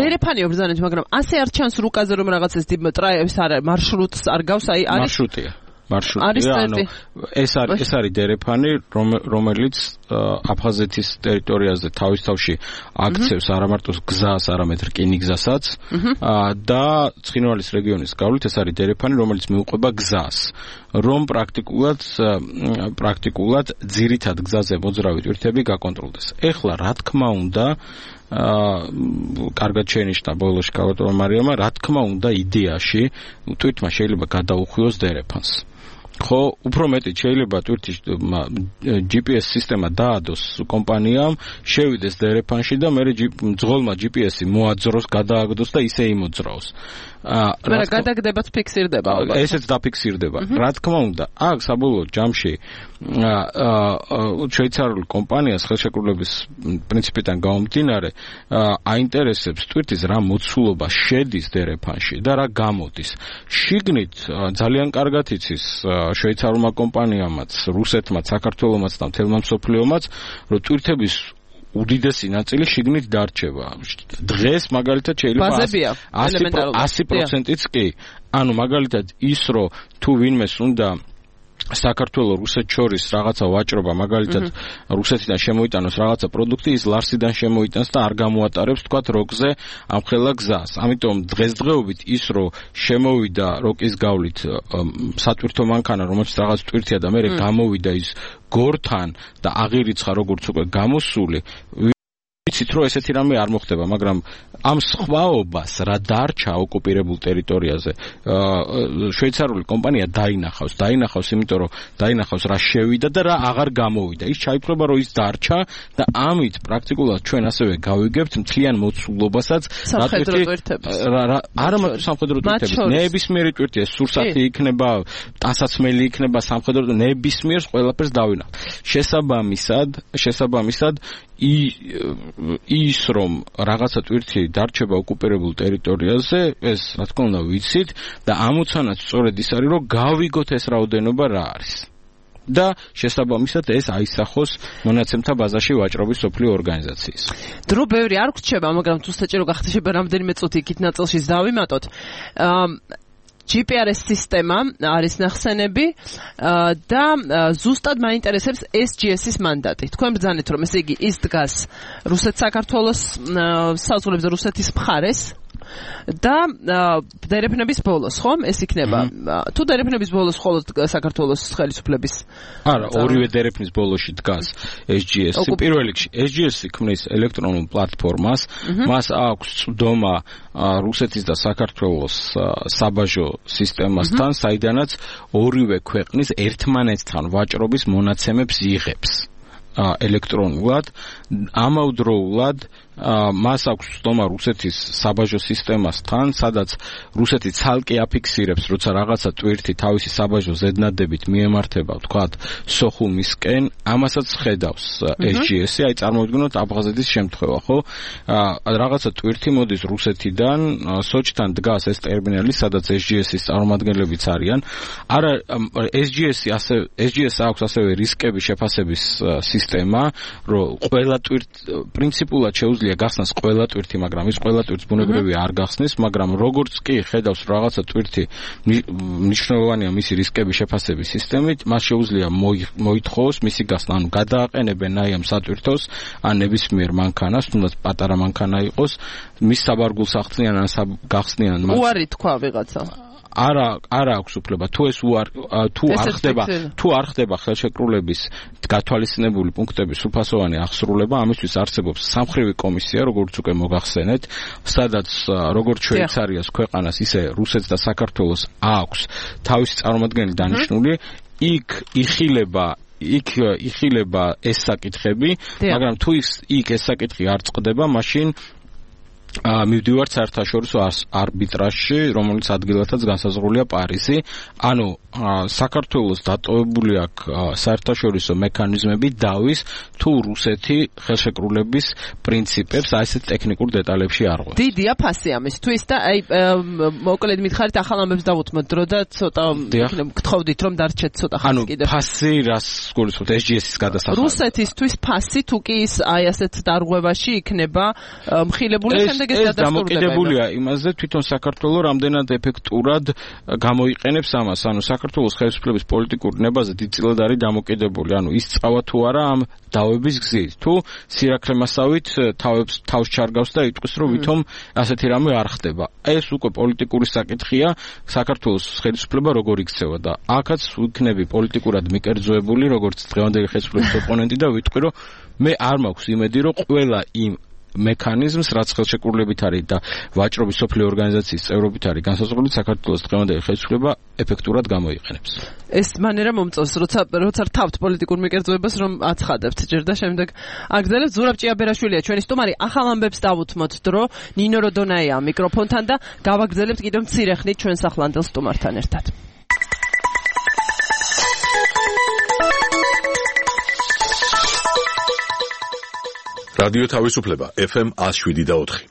დერეფანია ბრძანეთ, მაგრამ ასე არ ჩანს რუკაზე რომ რაღაცას ტრაიებს არ მარშრუტს არ გავს, აი არის მარშრუტია. ანუ ეს არის დერეფანი, რომელიც აფხაზეთის ტერიტორიაზე თავის თავში აქცევს არა მარტო გზას, არამედ რკინიგზასაც და ცხინვალის რეგიონის გავლით ეს არის დერეფანი, რომელიც მიუყვება გზას, რომ პრაქტიკულად ძირითად გზაზე მოძრავი ტვირთები გაკონტროლდეს. ეხლა რა თქმა უნდა კარგად შენიშნა ბოლოში ქალბატონმა მარიამმა, რა თქმა უნდა იდეაში ტვირთმა შეიძლება გადაუხვიოს დერეფანს. ხო, უფრო მეტი შეიძლება ტვირთის GPS სისტემა დაადოს კომპანიამ, შევიდეს დერეფანში და მე ძღოლმა GPS-ი მოაძროს, გადააგდოს და ისე იმოძრაოს. მაგრამ გადაგდებაც ფიქსირდება ალბათ. ესეც დაფიქსირდება. რა თქმა უნდა, აქ საბოლოო ჯამში შვეიცარიული კომპანიას ხელშეკრულების პრინციპიდან გამომდინარე აინტერესებს ტვირთის რა მოცულობა შედის დერეფანში და რა გამოდის. შიგნით ძალიან კარგად იცის შვეიცარულმა კომპანიამაც, რუსეთმაც, საქართველომაც და მთელმა მსოფლიომაც, რომ ტვირთების უდიდესი ნაწილი შიგნით დარჩება. დღეს მაგალითად შეიძლება 100%-იც კი. ანუ მაგალითად ის რომ თუ ვინმეს უნდა საქართველოს რუსეთს შორის რაღაცა ვაჭრობა, მაგალითად რუსეთიდან შემოიტანოს რაღაცა პროდუქტი, ის ლარსიდან შემოიტანს და არ გამოატარებს თქვათ როკზე ამ ხელა გზას. ამიტომ დღესდღეობით ის რომ შემოვიდა როკის გავლით სატვირთო მანქანა, რომელიც რაღაც ტვირთია და მე გამოვიდა ის გორთან და აღირიცხა როგორც უკვე გამოსული, ვიცით რომ ესეთი რამე არ მოხდება, მაგრამ ამ სხვაობას რა დარჩა ოკუპირებულ ტერიტორიაზე შვეიცარიული კომპანია დაინახავს, იმიტომ რომ დაინახავს რა შევიდა და რა აღარ გამოვიდა. ის ჩაიფრობა რომ ის დარჩა და ამით პრაქტიკულად ჩვენ ასევე გავიგებთ მთლიან მოცულობასაც სამხედრო ტვირთების. არა მარტო სამხედრო ტვირთების, ნებისმიერი ტვირთია, სურსათი იქნება, ტანსაცმელი იქნება, სამხედრო ნებისმიერს ყველაფერს დავინახავთ. შესაბამისად ის რომ რაღაცა ტვირთი დარჩება ოკუპირებულ ტერიტორიაზე, ეს რა თქმა უნდა ვიცით და ამოცანაც სწორედ ის არის, რომ გავიგოთ ეს რაოდენობა რა არის. და შესაბამისად ეს აისახოს მონაცემთა ბაზაში ვაჭრობის სოფლიო ორგანიზაციის. დრო ბევრი არ გვრჩება, მაგრამ თუ საჭირო გახდება რამდენიმე წუთი იქით ნაწილში დავიმატოთ. GPRS სისტემა არის ნახსენები და ზუსტად მაინტერესებს SGS-ის მანდატი. თქვენ ბრძანეთ რომ ესე იგი ის დგას რუსეთ-საქართველოს საზღვრებზე რუსეთის მხარეს და დერეფნების ბოლოს, ხომ? ეს იქნება. თუ დერეფნების ბოლოს მხოლოდ საქართველოს ხელისუფლების არა, ორივე დერეფნის ბოლოში დგას SGS-ი. პირველ რიგში SGS-ი ქმნის ელექტრონულ პლატფორმას, მას აქვს წვდომა რუსეთის და საქართველოს საბაჟო სისტემასთან, საიდანაც ორივე ქვეყნის ერთმანეთთან ვაჭრობის მონაცემებს იღებს ელექტრონულად, ამავდროულად მას აქვს ცდომა რუსეთის საბაჟო სისტემასთან, სადაც რუსეთი ცალკე აფიქსირებს, როცა რაღაცა ტვირთი თავისი საბაჟო ზედნადებით მიემართება, ვთქვათ, სოხუმისკენ, ამასაც ხედავს SGS-ი, აი წარმოვიდგინოთ აბღაზეთის შემთხვევა, ხო? რაღაცა ტვირთი მოდის რუსეთიდან, სოჭთან დგას ეს ტერმინალი, სადაც SGS-ის წარმომადგენლებიც არიან. არა, SGS აქვს ასევე რისკების შეფასების სისტემა, რომ ყველა პრინციპულად შეუძლია გახსნას ყველა ტვირთი, მაგრამ ის ყველა ტვირთს ბუნებრივია არ გახსნის, მაგრამ როგორც კი ხედავს რაღაცა ტვირთი მნიშვნელოვანია მისი რისკების შეფასების სისტემით, მას შეუძლია მოითხოვოს მისი გახსნა, ანუ გადააყენებენ აი ამ სატვირთოს ან ნებისმიერ მანქანას, თუნდაც პატარა მანქანა იყოს, მის საბარგულს ახსნიან ან გახსნიან მას. უარი თქვა ვიღაცა. არა აქვს უფლება თუ არ ხდება ხელშეკრულების გათვალისწინებული პუნქტების სრულფასოვანი აღსრულება, ამისთვის არსებობს სამხრივი კომისია, როგორც უკვე მოგახსენეთ, სადაც როგორც შვეიცარიას ქვეყანას, ისე რუსეთს და საქართველოს აქვს თავისი წარმომადგენელი დანიშნული, იქ იხილება ეს საკითხები, მაგრამ თუ იქ ეს საკითხი არ წყდება, მაშინ მივდივართ საერთაშორისო არბიტრაჟში, რომელიც ადგილათაც განსაზღვრულია პარიზი. ანუ საქართველოს დატოვებული აქვს საერთაშორისო მექანიზმები დავის თუ რუსეთი ხელშეკრულების პრინციპებს აი ესეთ ტექნიკურ დეტალებში არ ღვევს. დიდია ფასი ამისთვის და აი მოკლედ მითხარით ახალ ამბებს დავუთმოთ დრო და ცოტა გთხოვდით რომ დარჩეთ ცოტა ხანი კიდევ. ანუ ფასი რას გულისხმობთ SGS-ის გადასახადად? რუსეთისთვის ფასი თუ კი ის აი ასეთ დარღვევაში იქნება მხილებული შემდეგ ეს დამოკიდებულია იმაზე თვითონ საქართველოს რამდენად ეფექტურად გამოიყენებს ამას, ანუ საქართველოს ხელისუფლების პოლიტიკურ ნებაზე დიდწილად არის დამოკიდებული, ანუ ის წავა თუ არა ამ დავების გზით, თუ სირაქლემასავით თავს ჩარგავს და იტყვის, რომ ვითომ ასეთი რამე არ ხდება. ეს უკვე პოლიტიკური საკითხია, საქართველოს ხელისუფლება როგორ იქცევა და აქაც ვიქნები პოლიტიკურად მიკერძოებული, როგორც დღევანდელი ხელისუფლების ოპონენტი და ვიტყვი, რომ მე არ მაქვს იმედი, რომ ყველა იმ მექანიზმს, რაც ხელშეკრულებით არის და ვაჭრობის სოფლიო ორგანიზაციის წევრობით არის განსაზღვრული, საქართველოს დღევანდელი ხელისუფლება ეფექტურად გამოიყენებს. ეს მანერა მომწონს, როცა რთავთ პოლიტიკურ მიკერძოებას, რომ აცხადებთ ჯერ და შემდეგ აგრძელებთ. ზურაბ ჭიაბერაშვილია ჩვენი სტუმარი. ახალ ამბებს დავუთმოთ დრო, ნინო როდონაია მიკროფონთან და გავაგრძელებთ კიდევ მცირე ხნით ჩვენს ახლანდელ სტუმართან ერთად. რადიო თავისუფლება FM 107.4.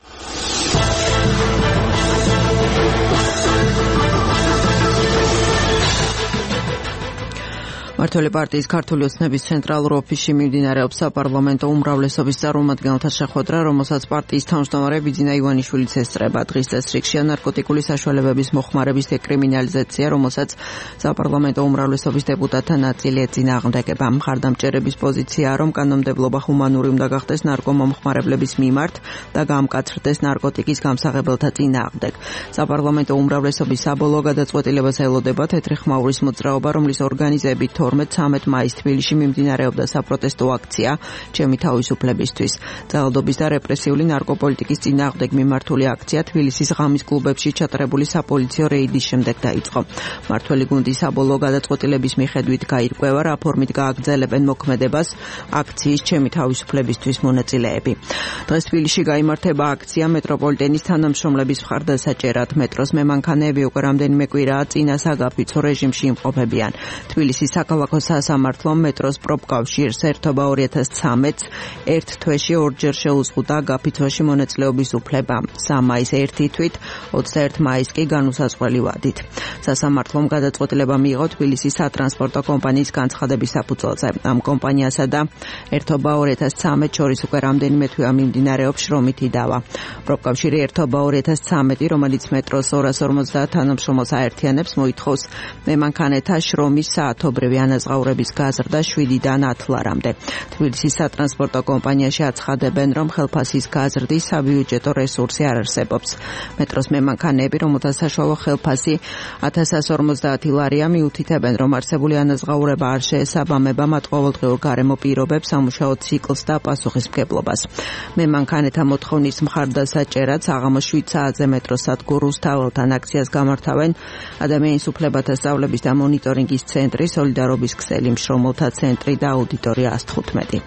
მმართველი პარტიის ქართული ოცნების ცენტრალურ ოფისში მიმდინარეობს საპარლამენტო უმრავლესობის წარმომადგენელთა შეხვედრა, რომელსაც პარტიის თავმჯდომარე ბიძინა ივანიშვილიც ესწრება. დღის წესრიგშია ნარკოტიკული საშუალებების მოხმარების დეკრიმინალიზაცია, რომელსაც საპარლამენტო უმრავლესობის დეპუტატთა ნაწილი ეწინააღმდეგება. მხარდამჭერების პოზიციაა, რომ კანონმდებლობა ჰუმანური უნდა გახდეს ნარკომომხმარებლების მიმართ და გამკაცრდეს ნარკოტიკის გამსაღებელთა წინააღმდეგ. საპარლამენტო უმრავლესობის საბოლოო გადაწყვეტილებას ელოდება თეთრი ხმაურის მოძრაობა, რომლის ორგანიზებით 12-13 მაისს თბილისში მიმდინარეობდა საპროტესტო აქცია ჩემი თავისუფლებისთვის. ძალადობის და რეპრესიული ნარკოპოლიტიკის წინააღმდეგ მიმართული აქცია თბილისის ღამის კლუბებში ჩატარებული საპოლიციო რეიდის შემდეგ დაიწყო. მმართველი გუნდის საბოლოო გადაწყვეტილების მიხედვით გაირკვევა, რა ფორმით გააგრძელებენ მოქმედებას აქციის ჩემი თავისუფლებისთვის მონაწილეები. დღეს თბილისში გაიმართება აქცია მეტროპოლიტენის თანამშრომლების მხარდასაჭერად. მეტროს მემანქანეები უკვე რამდენიმე კვირაა წინა საგაფიცო რეჟიმში იმყოფებიან. თბილისის საქალაქო სასამართლომ მეტროს პროფკავშირს ერთობა 2013-ს ერთ თვეში ორჯერ შეუზღუდა გაფიცვაში მონაწილეობის უფლება. 3 მაისს ერთი თვით, 21 მაისს კი განუსაზღვრელი ვადით. სასამართლომ გადაწყვეტილება მიიღო თბილისის სატრანსპორტო კომპანიის განცხადების საფუძველზე. ამ კომპანიასა და ერთობა 2013 შორის უკვე რამდენიმე თვეა მიმდინარეობს შრომითი დავა. პროფკავშირი ერთობა 2013, რომელიც მეტროს 250 თანამშრომელს აერთიანებს, მოითხოვს მემანქანეთა შრომის საათობრივი ანაზღაურების გაზრდა 7-დან 10 ლარამდე. თბილისის სატრანსპორტო კომპანიაში აცხადებენ, რომ ხელფასის გაზრდის საბიუჯეტო რესურსი არ არსებობს. მეტროს მემანქანეები, რომელთა საშუალო ხელფასი 1150 ლარია, მიუთითებენ, რომ არსებული ანაზღაურება არ შეესაბამება მათ ყოველდღიურ გარემო პირობებს, სამუშაო ციკლს და პასუხისმგებლობას. მემანქანეთა მოთხოვნის მხარდასაჭერად საღამოს 7 საათზე მეტროს სადგურ რუსთაველთან აქციას გამართავენ ადამიანის უფლებათა სწავლების და მონიტორინგის ცენტრი, სოლიდარობის ქსელი, მშრომელთა ცენტრი და აუდიტორია 115.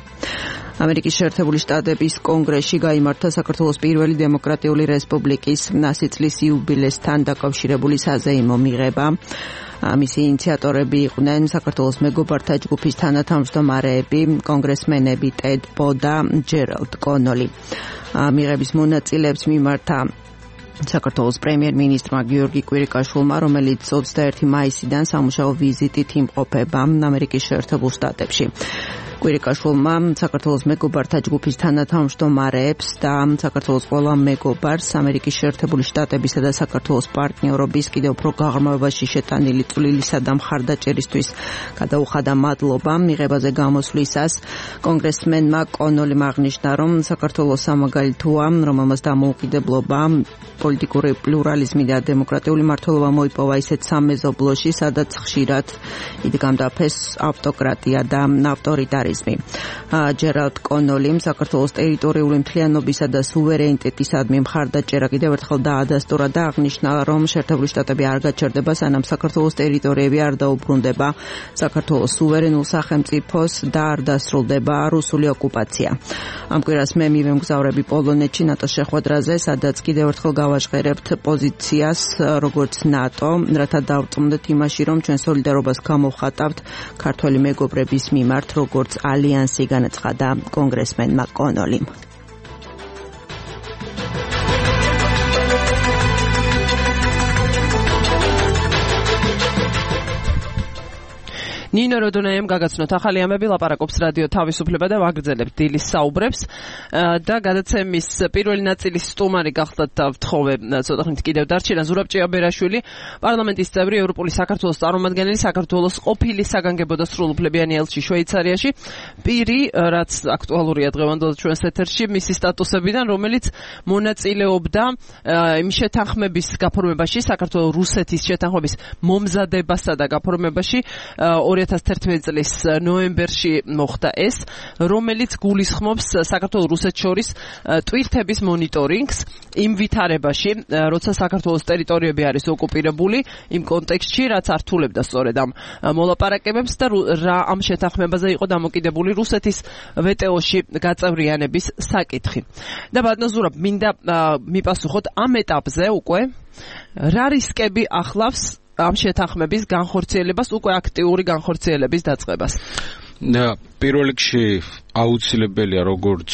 ამერიკის შეერთებული შტატების კონგრესში გაიმართა საქართველოს პირველი დემოკრატიული რესპუბლიკის 100 წლის იუბილესთან დაკავშირებული საზეიმო მიღება. მისი ინიციატორები იყვნენ საქართველოს მეგობართა ჯგუფის თანათავმჯდომარეები, კონგრესმენები ტედ ბო და ჯერალდ კონოლი. მიღების მონაწილეებს მიმართა საქართველოს პრემიერ-მინისტრმა გიორგი კვირიკაშვილმა, რომელიც 21 მაისიდან სამუშაო ვიზიტით იმყოფება ამერიკის შეერთებულ შტატებში. კვირიკაშვილმა საქართველოს მეგობართა ჯგუფის თანათავმჯდომარეებს და საქართველოს ყველა მეგობარს ამერიკის შეერთებული შტატებისა და საქართველოს პარტნიორობის კიდევ უფრო გაღრმავებაში შეტანილი წვლილისა და მხარდაჭერისთვის გადაუხადა მადლობა. მიღებაზე გამოსვლისას კონგრესმენმა კონოლიმ აღნიშნა, რომ საქართველოს სამაგალითოა, რომელმაც დამოუკიდებლობა, პოლიტიკური პლურალიზმი და დემოკრატიული მმართველობა მოიპოვა ისეთ სამეზობლოში, სადაც ხშირად იდგამდა ფეს ავტოკრატია და ავტორიტარიზმი. ჯერალდ კონოლიმ საქართველოს ტერიტორიული მთლიანობისა და სუვერენიტეტისადმი მხარდაჭერა კიდევ ერთხელ დაადასტურა და აღნიშნა, რომ შეერთებული შტატები არ გაჩერდება, სანამ საქართველოს ტერიტორიები არ დაუბრუნდება საქართველოს სუვერენულ სახელმწიფოს და არ დასრულდება რუსული ოკუპაცია. ამ კვირას მე მივემგზავრები პოლონეთში ნატოს შეხვედრაზე, სადაც კიდევ ერთხელ გავაჟღერებთ პოზიციას როგორც ნატო, რათა დავწმუნდეთ იმაში, რომ ჩვენ სოლიდარობას გამოვხატავთ ქართველი მეგობრების მიმართ, როგორც ალიანსი, განაცხადა კონგრესმენმა კონოლიმ. ნინო როდონაიამ გაგაცნოთ ახალი ამები, ლაპარაკობს რადიო თავისუფლება და ვაგრძელებთ დილის საუბრებს და გადაცემის პირველი ნაწილის სტუმარი გახლდათ ვთხოვე ცოტა ხნით კიდევ დარჩენა ზურაბ ჭიაბერაშვილი, პარლამენტის წევრი, ევროპული საქართველოს წარმომადგენელი, საქართველოს ყოფილი საგანგებო და სრულუფლებიანი ელჩი შვეიცარიაში, პირი, რაც აქტუალურია დღევანდელ ჩვენს ეთერში, მისი სტატუსებიდან, რომელიც მონაწილეობდა იმ შეთანხმების გაფორმებაში, საქართველოს-რუსეთის შეთანხმების მომზადებასა და გაფორმებაში 2011 წლის ნოემბერში მოხდა ეს, რომელიც გულისხმობს საქართველოს-რუსეთს შორის ტვირთების მონიტორინგს იმ ვითარებაში, როცა საქართველოს ტერიტორიები არის ოკუპირებული, იმ კონტექსტში, რაც ართულებდა სწორედ ამ მოლაპარაკებებს და რა ამ შეთანხმებაზე იყო დამოკიდებული რუსეთის ვეტეოში გაწევრიანების საკითხი. და ბატონო ზურაბ, მინდა მიპასუხოთ ამ ეტაპზე უკვე რა რისკები ახლავს ამ შეთანხმების განხორციელებას, უკვე აქტიური განხორციელების დაწყებას. პირველ რიგში აუცილებელია, როგორც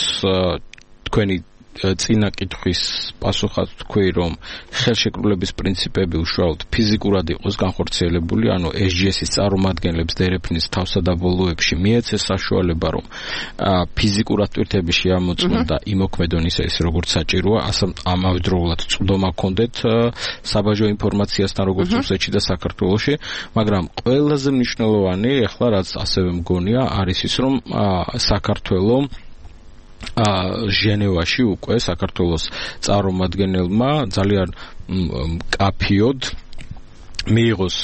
თქვენი წინა კითხვის პასუხად თქვი, რომ ხელშეკრულების პრინციპები უშუალოდ ფიზიკურად იყოს განხორციელებული, ანუ SGS-ის წარმომადგენლებს დერეფნის თავსადაბოლოებში მიეცეს საშუალება, რომ ფიზიკურად ტვირთები შეამოწმონ და იმოქმედონ ისე როგორც საჭიროა, ამავდროულად წვდომა ჰქონდეთ საბაჟო ინფორმაციასთან, როგორც რუსეთში და საქართველოში, მაგრამ ყველაზე მნიშვნელოვანი, ახლა რაც ასევე მგონია, არის ის, რომ საქართველოს ჟენევაში უკვე საქართველოს წარმომადგენელმა ძალიან კაფიოდ მიიღოს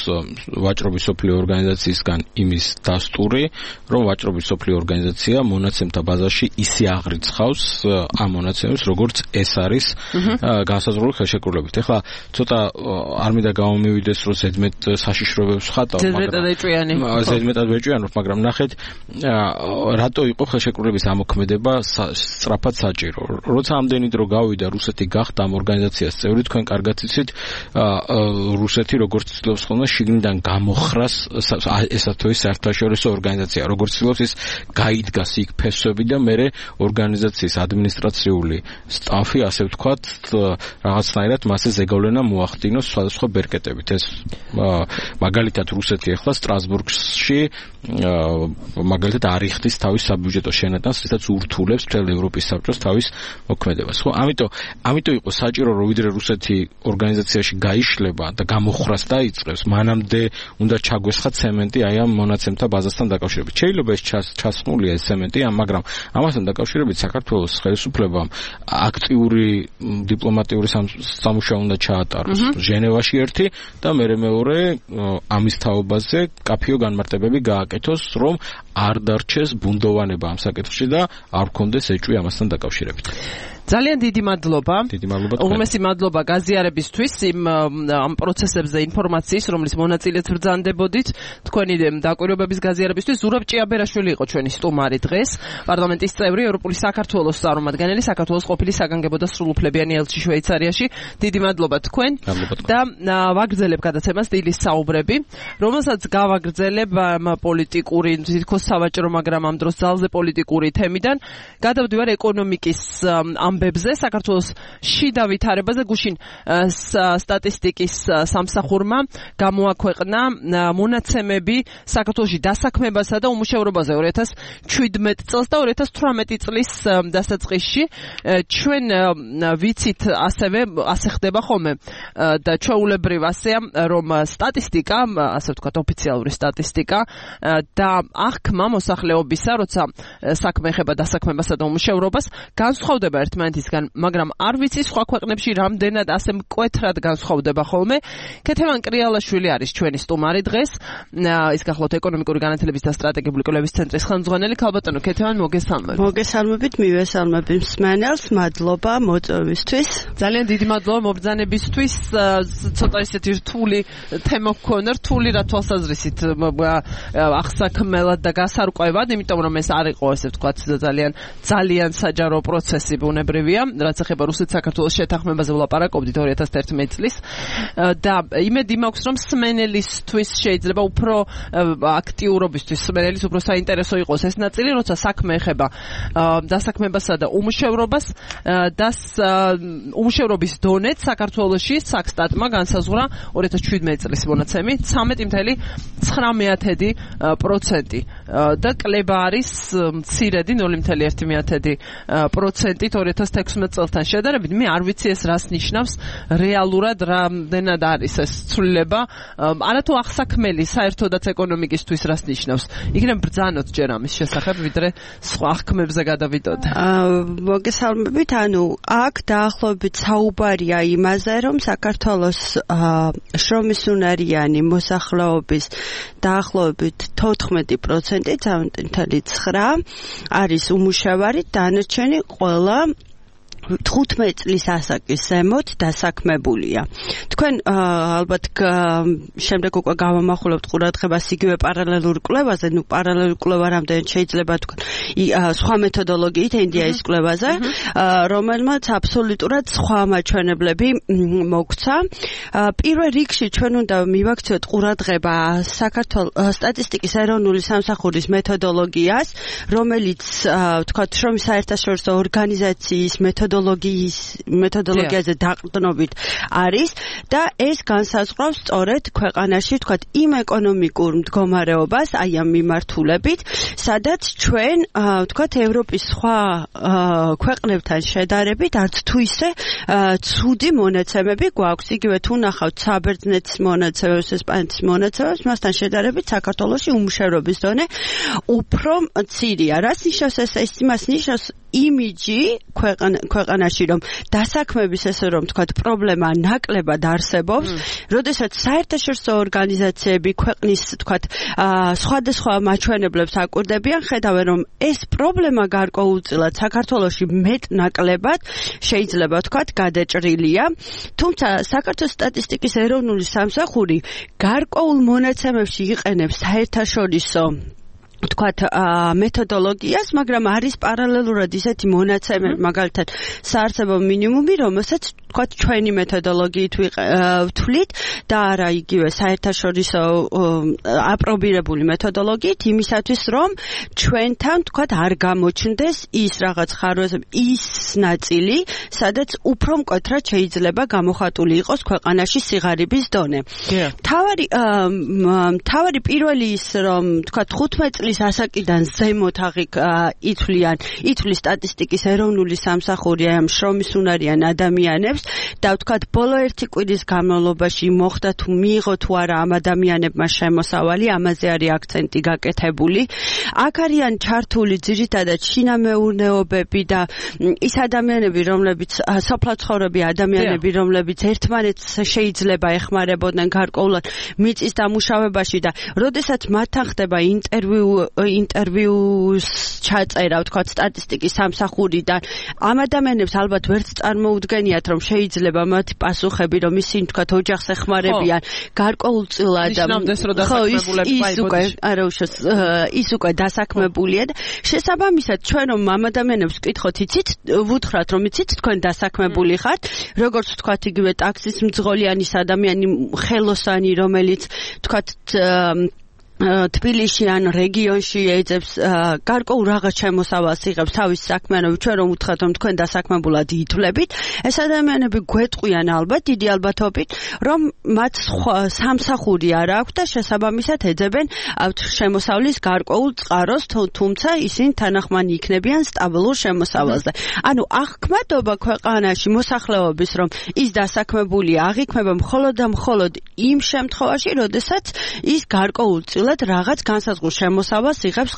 ვაჭრობის სოფლიო ორგანიზაციისგან იმის დასტური, რომ ვაჭრობის სოფლიო ორგანიზაცია მონაცემთა ბაზაში ისე აღრიცხავს ამ მონაცემებს, როგორც ეს არის განსაზღვრული ხელშეკრულებით. ეხლა ცოტა არ მინდა გამომივიდეს, რომ ზედმეტ საშიშროებებს ხატავ, ზედმეტად ვეჭვიანობ, მაგრამ ნახეთ, რატო იყო ხელშეკრულების ამოქმედება სწრაფად საჭირო. როცა ამდენი დრო გავიდა, რუსეთი გახდა ამ ორგანიზაციას წევრი, თქვენ კარგად იცით, რუსეთი როგორც ცდილობს ხოლმე შიგნიდან გამოხრას ესა თუ ის საერთაშორისო ორგანიზაცია, როგორც ცდილობს ის გაიდგას იქ ფესვები და მერე ორგანიზაციის ადმინისტრაციული სტაფი, ასე ვთქვათ, რაღაცნაირად მასზე ზეგავლენა მოახდინოს სხვადასხვა ბერკეტებით. ეს მაგალითად რუსეთი ახლა სტრასბურგში მაგალითად არ იხდის თავის საბიუჯეტო შენატანს, რითაც ურთულებს მთელ ევროპის საბჭოს თავის მოქმედებას. ხო, ამიტომ იყო საჭირო, რომ ვიდრე რუსეთი ორგანიზაციაში გაიშლება და გამოხრას დაიწყებს, მანამდე უნდა ჩაგვესხა ცემენტი აი ამ მონაცემთა ბაზასთან დაკავშირებით. შეიძლება ეს ჩასხმულია ეს ცემენტი, მაგრამ ამასთან დაკავშირებით საქართველოს ხელისუფლებამ აქტიური დიპლომატიური სამუშაო უნდა ჩაატაროს ჟენევაში ერთი და მეორე ამის თაობაზე კაფიო განმარტებები გააკეთოს, რომ არ დარჩეს ბუნდოვანება ამ საკითხში და არ გქონდეს ეჭვი ამასთან დაკავშირებით. ძალიან დიდი მადლობა. დიდი მადლობა. უღრმესი მადლობა გაზიარებისთვის ამ პროცესებზე ინფორმაციის, რომლის მონაწილეც ბრძანდებოდით. თქვენი დაკვირვებების გაზიარებისთვის ზურაბ ჭიაბერაშვილი იყო ჩვენი სტუმარი დღეს. პარლამენტის წევრი, ევროპული საქართველოს წარმომადგენელი, საქართველოს ყოფილი საგანგებო და სრულუფლებიანი ელჩი შვეიცარიაში. დიდი მადლობა თქვენ. და ვაგრძელებ გადაცემას დილის საუბრები, რომელსაც გავაგრძელებ პოლიტიკური, თითქოს სავაჭრო, მაგრამ ამ დროს ძალზე პოლიტიკური თემიდან. გადავდივარ ეკონომიკის ამბებზე, საქართველოს შიდა ვითარებაზე. გუშინ სტატისტიკის სამსახურმა გამოაქვეყნა მონაცემები საქართველოში დასაქმებასა და უმუშევრობაზე 2017 წელს და 2018 წლის დასაწყისში. ჩვენ ვიცით ასე ხდება ხოლმე და ჩვეულებრივ ასეა, რომ სტატისტიკა, ასე ვთქვათ, ოფიციალური სტატისტიკა და აღქმა მოსახლეობისა, როცა საქმე ეხება დასაქმებასა და უმუშევრობას, განსხვავდება ერთმანეთისგან, მაგრამ არ ვიცი სხვა ქვეყნებში რამდენად ასე მკვეთრად განსხვავდება ხოლმე. ქეთევან კრიალაშვილი არის ჩვენი სტუმარი დღეს. ის გახლავთ ეკონომიკური განათლების და სტრატეგიული კვლევის ცენტრის ხელმძღვანელი. ქალბატონო ქეთევან, მოგესალმებით. მოგესალმებით, მივესალმები მსმენელს, მადლობა მოწვევისთვის. ძალიან დიდი მადლობა მობრძანებისთვის. ცოტა ისეთი რთული თემა გქონდა, რთული რა თვალსაზრისით აღსაქმელად და გასარკვევად, იმიტომ რომ ეს არ იყო, ასე ვთქვათ, ძალიან საჯარო პროცესი ბუნებრივია, რაც ეხება რუსეთ-საქართველოს შეთანხმებაზე ვლაპარაკობდით 2011 წლის და იმედი მაქვს, რომ სმენელისთვის შეიძლება უფრო აქტიურობისთვის, სმენელის უფრო საინტერესო იყოს ეს ნაწილი, როცა საქმე ეხება დასაქმებასა და უმუშევრობას და უმუშევრობის დონეც საქართველოში საქსტატმა განსაზღვრა 2017 წლის მონაცემი 13.9% და კლება არის მცირედი 0.1%-ით 2016 წელთან შედარებით. მე არ ვიცი ეს რას ნიშნავს რეალურად, რამდენად არის ეს ცვლილება, არათუ აღსაქმელი საერთოდაც ეკონომიკისთვის რას ნიშნავს. იქნებ ბრძანოთ ჯერ ამის შესახებ, ვიდრე სხვა აღქმებზე გადავიდოდ. მოგესალმებით, აქ დაახლოებით საუბარია იმაზე, რომ საქართველოს შრომისუნარიანი მოსახლეობის დაახლოებით 14.9% არის უმუშევარი, დანარჩენი ყველა 15 წლის ასაკის ზემოთ დასაქმებულია. თქვენ ალბათ შემდეგ უკვე გავამახვილებთ ყურადღებას იგივე პარალელურ კვლევაზე, პარალელურ კვლევა რამდენად შეიძლება თქვენ სხვა მეთოდოლოგიით ინდიის კვლევაზე, რომელმაც აბსოლუტურად სხვა მაჩვენებლები მოგცა. პირველ რიგში ჩვენ უნდა მივაქციოთ ყურადღება საქართველოს სტატისტიკის ეროვნული სამსახურის მეთოდოლოგიას, რომელიც ვთქვათ, შრომის საერთაშორისო ორგანიზაციის მეთოდოლოგიაზე დაყრდნობით არის და ეს განსაზღვრავს სწორედ ქვეყანაში ვთქვათ იმ ეკონომიკურ მდგომარეობას აი ამ მიმართულებით, სადაც ჩვენ ვთქვათ ევროპის სხვა ქვეყნებთან შედარებით არც თუ ისე ცუდი მონაცემები გვაქვს. იგივე თუ ნახავთ საბერძნეთის მონაცემებს, ესპანეთის მონაცემებს, მასთან შედარებით საქართველოში უმუშევრობის დონე უფრო მცირეა. რას ნიშნავს ეს? იმას ნიშნავს იმიჯი ქვეყანაში, რომ დასაქმების ესე რომ თქვათ პრობლემა ნაკლებად არსებობს, როდესაც საერთაშორისო ორგანიზაციები ქვეყნის თქვათ სხვადასხვა მაჩვენებლებს აკვირდებიან, ხედავენ რომ ეს პრობლემა გარკვეულწილად საქართველოში მეტ-ნაკლებად შეიძლება თქვათ გადაჭრილია, თუმცა საქართველოს სტატისტიკის ეროვნული სამსახური გარკვეულ მონაცემებში იყენებს საერთაშორისო თქვათ მეთოდოლოგიას, მაგრამ არის პარალელურად ისეთი მონაცემები, მაგალითად საარსებო მინიმუმი, რომელსაც თქვათ ჩვენი მეთოდოლოგიით ვთვლით და არა იგივე საერთაშორისო აპრობირებული მეთოდოლოგიით, იმისათვის რომ ჩვენთან თქვათ არ გამოჩნდეს ის რაღაც ხარვეზები, ის ნაწილი, სადაც უფრო მკვეთრად შეიძლება გამოხატული იყოს ქვეყანაში სიღარიბის დონე. თავარი პირველი ის რომ თქვათ 15 წლის ასაკიდან ზემოთ ითვლის სტატისტიკის ეროვნული სამსახური ამ შრომისუნარიან ადამიანებს და ვთქვათ ბოლო ერთი კვირის განმავლობაში მოხდა თუ მიიღო თუ არა ამ ადამიანებმა შემოსავალი, ამაზე არის აქცენტი გაკეთებული. აქ არიან ჩართული ძირითადად შინამეურნეობები და ის ადამიანები, რომლებიც სოფლაცხოვრები ადამიანები, რომლებიც ერთმანეთს შეიძლება ეხმარებოდნენ გარკვეულად მიწის დამუშავებაში და როდესაც მათთან ხდება ინტერვიუ ინტერვიუს ჩაწერა, ვთქვათ, სტატისტიკის სამსახურიდან. ამ ადამიანებს ალბათ ვერც წარმოუდგენიათ, რომ შეიძლება მათი პასუხები, რომ ისინი ვთქვათ, ოჯახს ეხმარებიან, გარკვეულწილად ის უკვე დასაქმებულია და შესაბამისად ჩვენ რომ ამ ადამიანებს ვკითხოთ, იცით, ვუთხრათ, რომ იცით, თქვენ დასაქმებული ხართ, როგორც ვთქვათ, იგივე ტაქსის მძღოლიანის ადამიანი, ხელოსანი, რომელიც ვთქვათ თბილისში ან რეგიონში ეძებს გარკვეულ რაღაც შემოსავალს იღებს თავის საქმიანობით, ჩვენ რომ უთხრათ, რომ თქვენ დასაქმებულად ითვლებით, ეს ადამიანები გვეტყვიან ალბათ დიდი ალბათობით, რომ მათ სამსახური არ აქვს და შესაბამისად ეძებენ შემოსავლის გარკვეულ წყაროს, თუმცა ისინი თანახმანი იქნებიან სტაბილურ შემოსავალზე. ანუ აღქმადობა ქვეყანაში მოსახლეობის, რომ ის დასაქმებული აღიქმება მხოლოდ და მხოლოდ იმ შემთხვევაში, როდესაც ის გარკვეულწილად რაღაც განსაზღვრულ შემოსავალს იღებს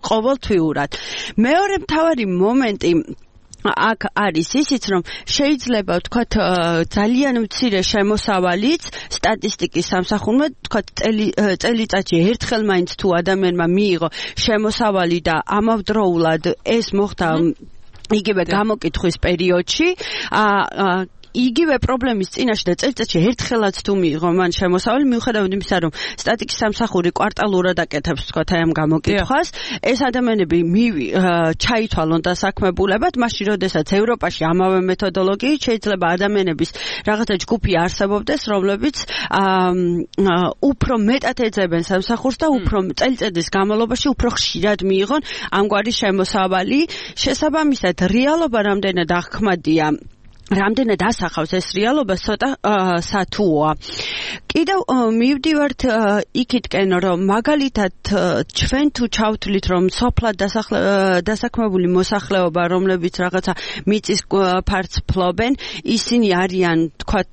ყოველთვიურად. მეორე მთავარი მომენტი აქ არის ისიც, რომ შეიძლება ვთქვათ ძალიან მცირე შემოსავალიც სტატისტიკის სამსახურმა ვთქვათ წელიწადში ერთხელ მაინც თუ ადამიანმა მიიღო შემოსავალი და ამავდროულად ეს მოხდა იგივე გამოკითხვის პერიოდში იგივე პრობლემის წინაშე და წელიწადში ერთხელაც თუ მიიღო მან შემოსავალი, მიუხედავად იმისა, რომ სტატისტიკის სამსახური კვარტალურად აკეთებს ვთქვათ აი ამ გამოკითხვას, ეს ადამიანები ჩაითვალონ დასაქმებულებად, მაშინ როდესაც ევროპაში ამავე მეთოდოლოგიით შეიძლება ადამიანების რაღაცა ჯგუფი არსებობდეს, რომლებიც უფრო მეტად ეძებენ სამსახურს და უფრო წელიწადის განმავლობაში უფრო ხშირად მიიღონ ამგვარი შემოსავალი. შესაბამისად, რეალობა რამდენად აღქმადია, რამდენად ასახავს ეს რეალობა ცოტა სათუოა. კიდევ მივდივართ იქითკენ, რომ მაგალითად ჩვენ თუ ჩავთვლით, რომ სოფლად დასაქმებული მოსახლეობა, რომლებიც რაღაცა მიწის ფართს ფლობენ, ისინი არიან, თქვათ,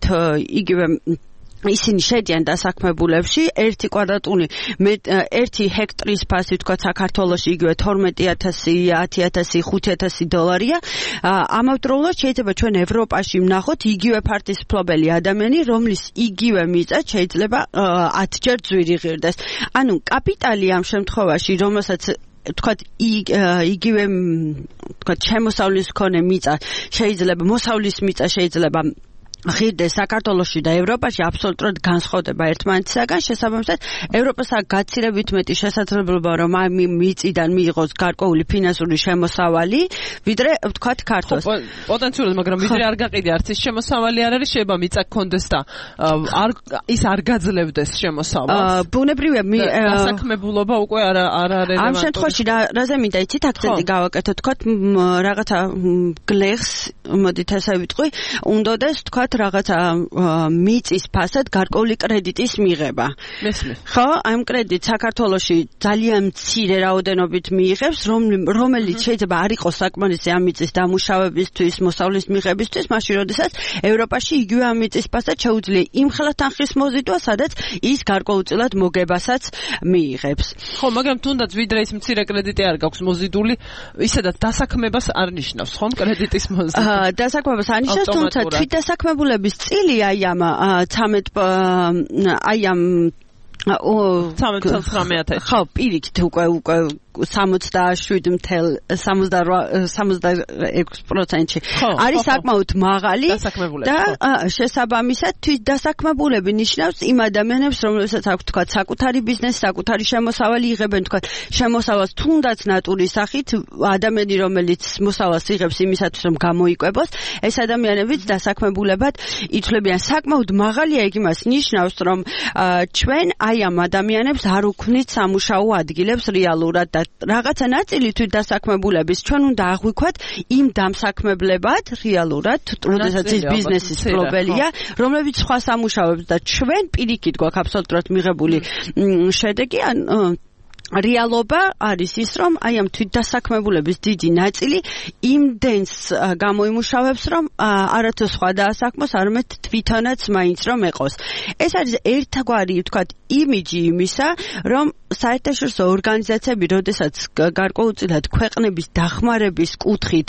იგივე ისინი შედიან დასაქმებულებში, 1 კვადრატული 1 ჰექტრის ფასი ვთქვათ საქართველოში იგივე 12,000, 10,000, 5,000 დოლარია. ამავდროულად შეიძლება ჩვენ ევროპაში ვნახოთ იგივე ფართის მფლობელი ადამიანი, რომლის იგივე მიწა შეიძლება 10 ჯერ ძვირი ღირდეს. ანუ კაპიტალი ამ შემთხვევაში, რომელსაც ვთქვათ იგივე ვთქვათ შემოსავლის მქონე მიწა შეიძლება მოსავლის მიწა შეიძლება ღირდეს საქართველოში და ევროპაში აბსოლუტურად განსხვავდება ერთმანეთისაგან. შესაბამისად, ევროპას აქვს გაცილებით მეტი შესაძლებლობა, რომ ამ მიწიდან მიიღოს გარკვეული ფინანსური შემოსავალი, ვიდრე ვთქვათ ქართლს. პოტენციურად, მაგრამ ვიდრე არ გაყიდე არც ის შემოსავალი არ არის, შეიძლება მიწა გქონდეს და ის არ გაძლევდეს შემოსავალს. ბუნებრივია დასაქმებულობა უკვე არ არის. ამ შემთხვევაში რაზე მინდა იცით აქცენტი გავაკეთო, ვთქვათ რაღაცა გლეხს, მოდით ასე ვიტყვი, უნდადეს ვთქვათ რაღაცა მიწის ფასად გარკვეული კრედიტის მიღება. მესმის. ხო, ამ კრედიტ საქართველოში ძალიან მცირე რაოდენობით მიიღებს, რომელიც შეიძლება არ იყოს საკმარისი ამ მიწის დამუშავებისთვის, მოსავლის მიღებისთვის, მაშინ როდესაც ევროპაში იგივე ამ მიწის ფასად შეუძლია იმ ხელა თანხის მოზიდვა, სადაც ის გარკვეულწილად მოგებასაც მიიღებს. ხო, მაგრამ თუნდაც ვიდრე ის მცირე კრედიტი არ გაქვს მოზიდული, ისედაც დასაქმებას არ ნიშნავს, ხომ, კრედიტის მოზიდვა. დასაქმებას არ ნიშნავს, თუმცა თვითდასაქმებულების წილი აი ამ 13,900 ხო, პირიქით უკვე 66%-ში არის საკმაოდ მაღალი და შესაბამისად თვითდასაქმებულები ნიშნავს იმ ადამიანებს, რომლებსაც აქვს თქვათ საკუთარი ბიზნესი, საკუთარი შემოსავალი იღებენ, თქვათ შემოსავალს თუნდაც ნატურის სახით, ადამიანი რომელიც მოსავალს იღებს იმისათვის რომ გამოიკვებოს, ეს ადამიანებიც დასაქმებულებად ითვლებიან. საკმაოდ მაღალია იქ იმას ნიშნავს, რომ ჩვენ აი ამ ადამიანებს არ უქმნით სამუშაო ადგილებს რეალურად და რაღაცა ნაწილი თვითდასაქმებულების ჩვენ უნდა აღვიქვათ იმ დამსაქმებლებად რეალურად, როდესაც ის ბიზნესის მფლობელია, რომლებიც სხვა სამუშაოებს და ჩვენ პირიქით გვაქვს აბსოლუტურად მიღებული შედეგი, რეალობა არის ის, რომ აი ამ თვითდასაქმებულების დიდი ნაწილი იმდენს გამოიმუშავებს, რომ არათუ სხვა დაასაქმოს, არამედ თვითონაც მაინც რომ ეყოს. ეს არის ერთგვარი, ვთქვათ, იმიჯი იმისა, რომ საერთაშორისო ორგანიზაციები, როდესაც გარკვეულწილად ქვეყნების დახმარების კუთხით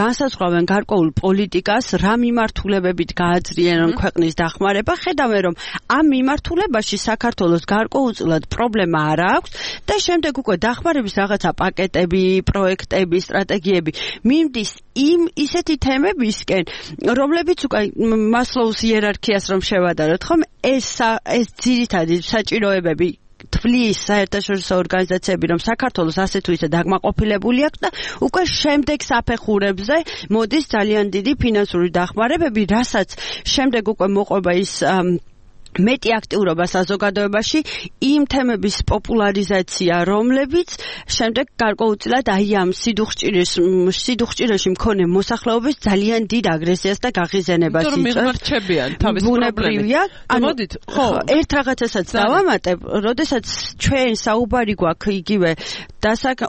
განსაზღვრავენ გარკვეულ პოლიტიკას, რა მიმართულებებით გააძლიერონ ქვეყნის დახმარება, ხედავენ, რომ ამ მიმართულებაში საქართველოს გარკვეულწილად პრობლემა არ აქვს და შემდეგ უკვე დახმარების რაღაცა პაკეტები, პროექტები, სტრატეგიები მიმდის იმ ისეთი თემებისკენ, რომლებიც უკვე მასლოუს იერარქიას რომ შევადაროთ, ხომ ეს ძირითადი საჭიროებები თვლის საერთაშორისო ორგანიზაციები, რომ საქართველოს ასე თუ ისე დაგმაყოფილებული აქვს და უკვე შემდეგ საფეხურებზე მოდის ძალიან დიდი ფინანსური დახმარებები, რასაც შემდეგ უკვე მოყვება ის მეტი აქტიურობა საზოგადოებაში იმ თემების პოპულარიზაცია, რომლებიც შემდეგ გარკვეულწილად აი ამ სიდუხჭირეში მქონე მოსახლეობის ძალიან დიდ აგრესიას და გაღიზენებას იწვევს. მიღმარჩებიან თავის პრობლემით. მოდით, ხო, ერთ რაღაცასაც დავამატებ, როდესაც ჩვენ საუბარი გვაქვს იგივე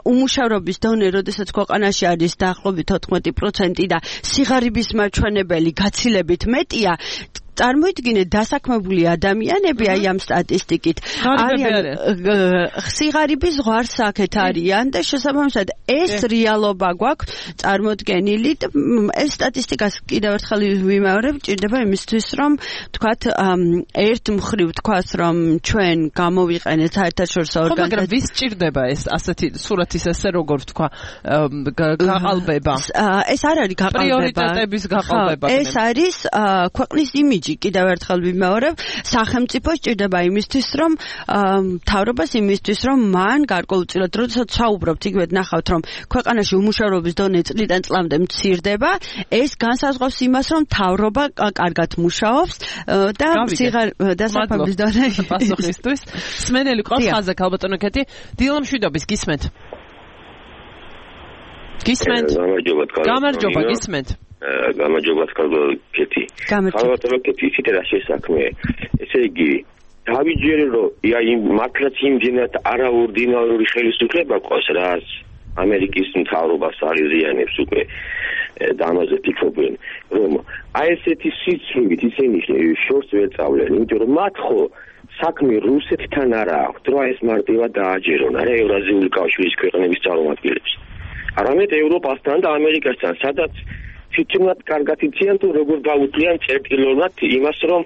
უმუშავრობის დონე, როდესაც ქვეყანაში არის დაახლოებით 14% და სიღარიბის მაჩვენებელი გაცილებით მეტია, წარმოიდგინეთ დასაქმებული ადამიანები აი ამ სტატისტიკით არიან სიღარიბის ზღვარსაკეთ არიან და შესაბამისად ეს რეალობა გვაქვს წარმოდგენილი და ეს სტატისტიკას კიდევ ერთხელ ვიმეორებ, ჭირდება იმისთვის რომ თქვათ ერთ მხრივ თქვას რომ ჩვენ გამოვიყენეთ საერთაშორისო ორგანიზაციას. მაგრამ ვის ჭირდება ეს ასეთი სურათის ესე როგორ თქვა გაყალბება? ეს არ არის გაყალბება. პრიორიტეტების გაყალბება. ეს არის ქვეყნის იმიჯი. კიდევ ერთხელ ვიმეორებ, სახელმწიფო სჭირდება იმისთვის, რომ მთავრობას იმისთვის, რომ მან გარკვეულწილად, როდესაც საუბრობთ, იგივე ნახავთ, რომ ქვეყანაში უმუშავრობის დონე წლიდან წლამდე მცირდება, ეს განსაზღვრავს იმას, რომ მთავრობა კარგად მუშაობს და დასაქმების დონე პასუხისთვის. სმენელი ყავს ხაზზე, ქალბატონო კეთი, დილა მშვიდობის გისმენთ. გისმენთ. გამარჯობა, გისმენთ. გამარჯობა კეთი. გამარჯობა კეთი, ისეთ რა შესაქმე. ესე იგი, დავიჯერე რომ მართლაც იმდენად არაორდინალური ხელისუფლება ყავს, რაც ამერიკის მთავრობას არიზიანებს უკვე და ამაზე ფიქრობენ, რომ აი ესეთი სიცრუით ისინი შორს ვერ წავლენ, იმიტომ რომ მათ ხო საქმე რუსეთთან არა აქვს, რომ ეს მარტივად დააჯერონ, არა ევრაზიული კავშირის ქვეყნების წარმომადგენლებს. არამედ ევროპასთან და ამერიკასთან, სადაც თვითონაც კარგად იციან თუ როგორ გაუძლიან წერტილოვნად იმას, რომ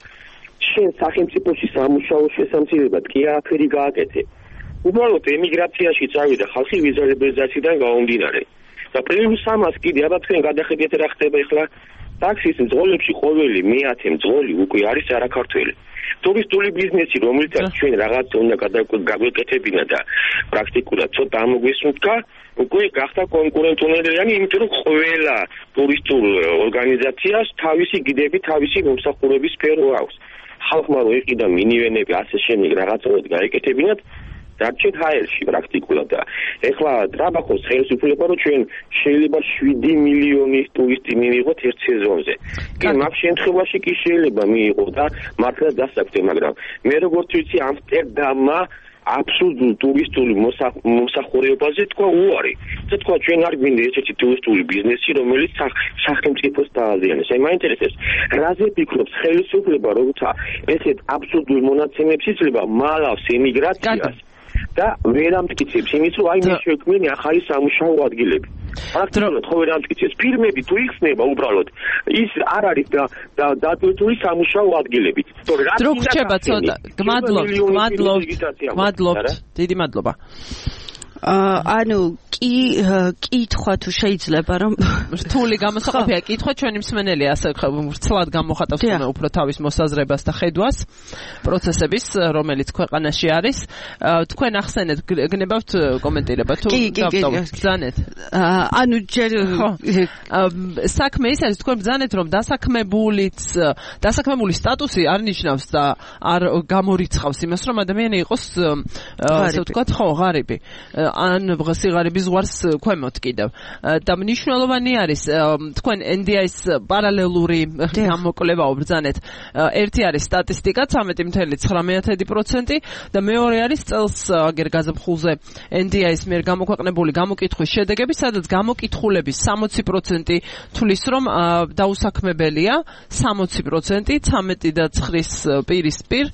შენ სახელმწიფოში სამუშაო შესამცირებლად კი არაფერი გააკეთე. უბრალოდ ემიგრაციაში წავიდა ხალხი ვიზა ლიბერალიზაციიდან გამომდინარე. და პლუს ამას კიდე აბა თქვენ გადახედეთ რა ხდება ახლა ტაქსის მძღოლებში ყოველი მე-10 მძღოლი უკვე არის არაქართველი. ტურისტული ბიზნესი, რომელსაც ჩვენ რაღაც უნდა გაგვეკეთებინა და პრაქტიკულად ცოტა ამოგვისუნთქა, უკვე გახდა კონკურენტუნარიანი, იმიტომ რომ ყველა ტურისტულ ორგანიზაციას თავისი გიდები, თავისი მომსახურების სფერო აქვს. ხალხმა რო იყიდა მინივენები, ასე შემდეგ რაღაცნაირად გაეკეთებინათ, დარჩეთ ჰაერში პრაქტიკულად და ეხლა ტრაბახოს ხელისუფლება რომ ჩვენ შეიძლება 7 მილიონი ტურისტი მივიღოთ ერთ სეზონზე. კი მაგ შემთხვევაში კი შეიძლება მიიღო და მართლა დასაქმე, მაგრამ მე როგორც ვიცი ამსტერდამმა აბსოლუტურ ტურისტული მომსახურებაზე თქვა უარი. და თქვა ჩვენ არ გვინდა ესეთი ტურისტული ბიზნესი, რომელიც სახელმწიფოს დააზიანებს. აი მაინტერესებს, რაზე ფიქრობს ხელისუფლება, როცა ესეთ აბსოლუტურ მონაცემებს იძლევა მალავს ემიგრაციას და ვერ ამტკიცებს იმის, რომ აი მე შექმნილი ახალი სამუშაო ადგილები. პრაქტიკულად ხო ვერ ამტკიცებს ფირმები თუ იხსნება უბრალოდ ის არ არის და დატვირთული სამუშაო ადგილებით. დრო გრჩება ცოტა. გმადლობთ. დიდი მადლობა. ანუ კითხვა თუ შეიძლება რომ რთული გამოსაყოფია კითხვა ჩვენი მსმენელი ასე ვრცლად გამოხატავს უფრო თავის მოსაზრებას და ხედვას პროცესების რომელიც ქვეყანაში არის თქვენ ახსენეთ გნებავთ კომენტირება თუ ბრძანეთ ანუ ჯერ საქმე ის არის თქვენ ბრძანეთ რომ დასაქმებული სტატუსი არ ნიშნავს და არ გამორიცხავს იმას რომ ადამიანი იყოს ასე ვთქვათ ხო ღარიბი ან სიღარიბის ზღვარს ქვემოთ კიდევ. და მნიშვნელოვანი არის თქვენ NDI-ს პარალელური გამოკვლევა უბრძანეთ. ერთი არის სტატისტიკა 13.9% და მეორე არის წელს აგერ გაზაფხულზე NDI-ს მიერ გამოქვეყნებული გამოკითხვის შედეგები, სადაც გამოკითხულების 60% თulis რომ დაუსაქმებელია, 60% 13.9-ის პირისპირ.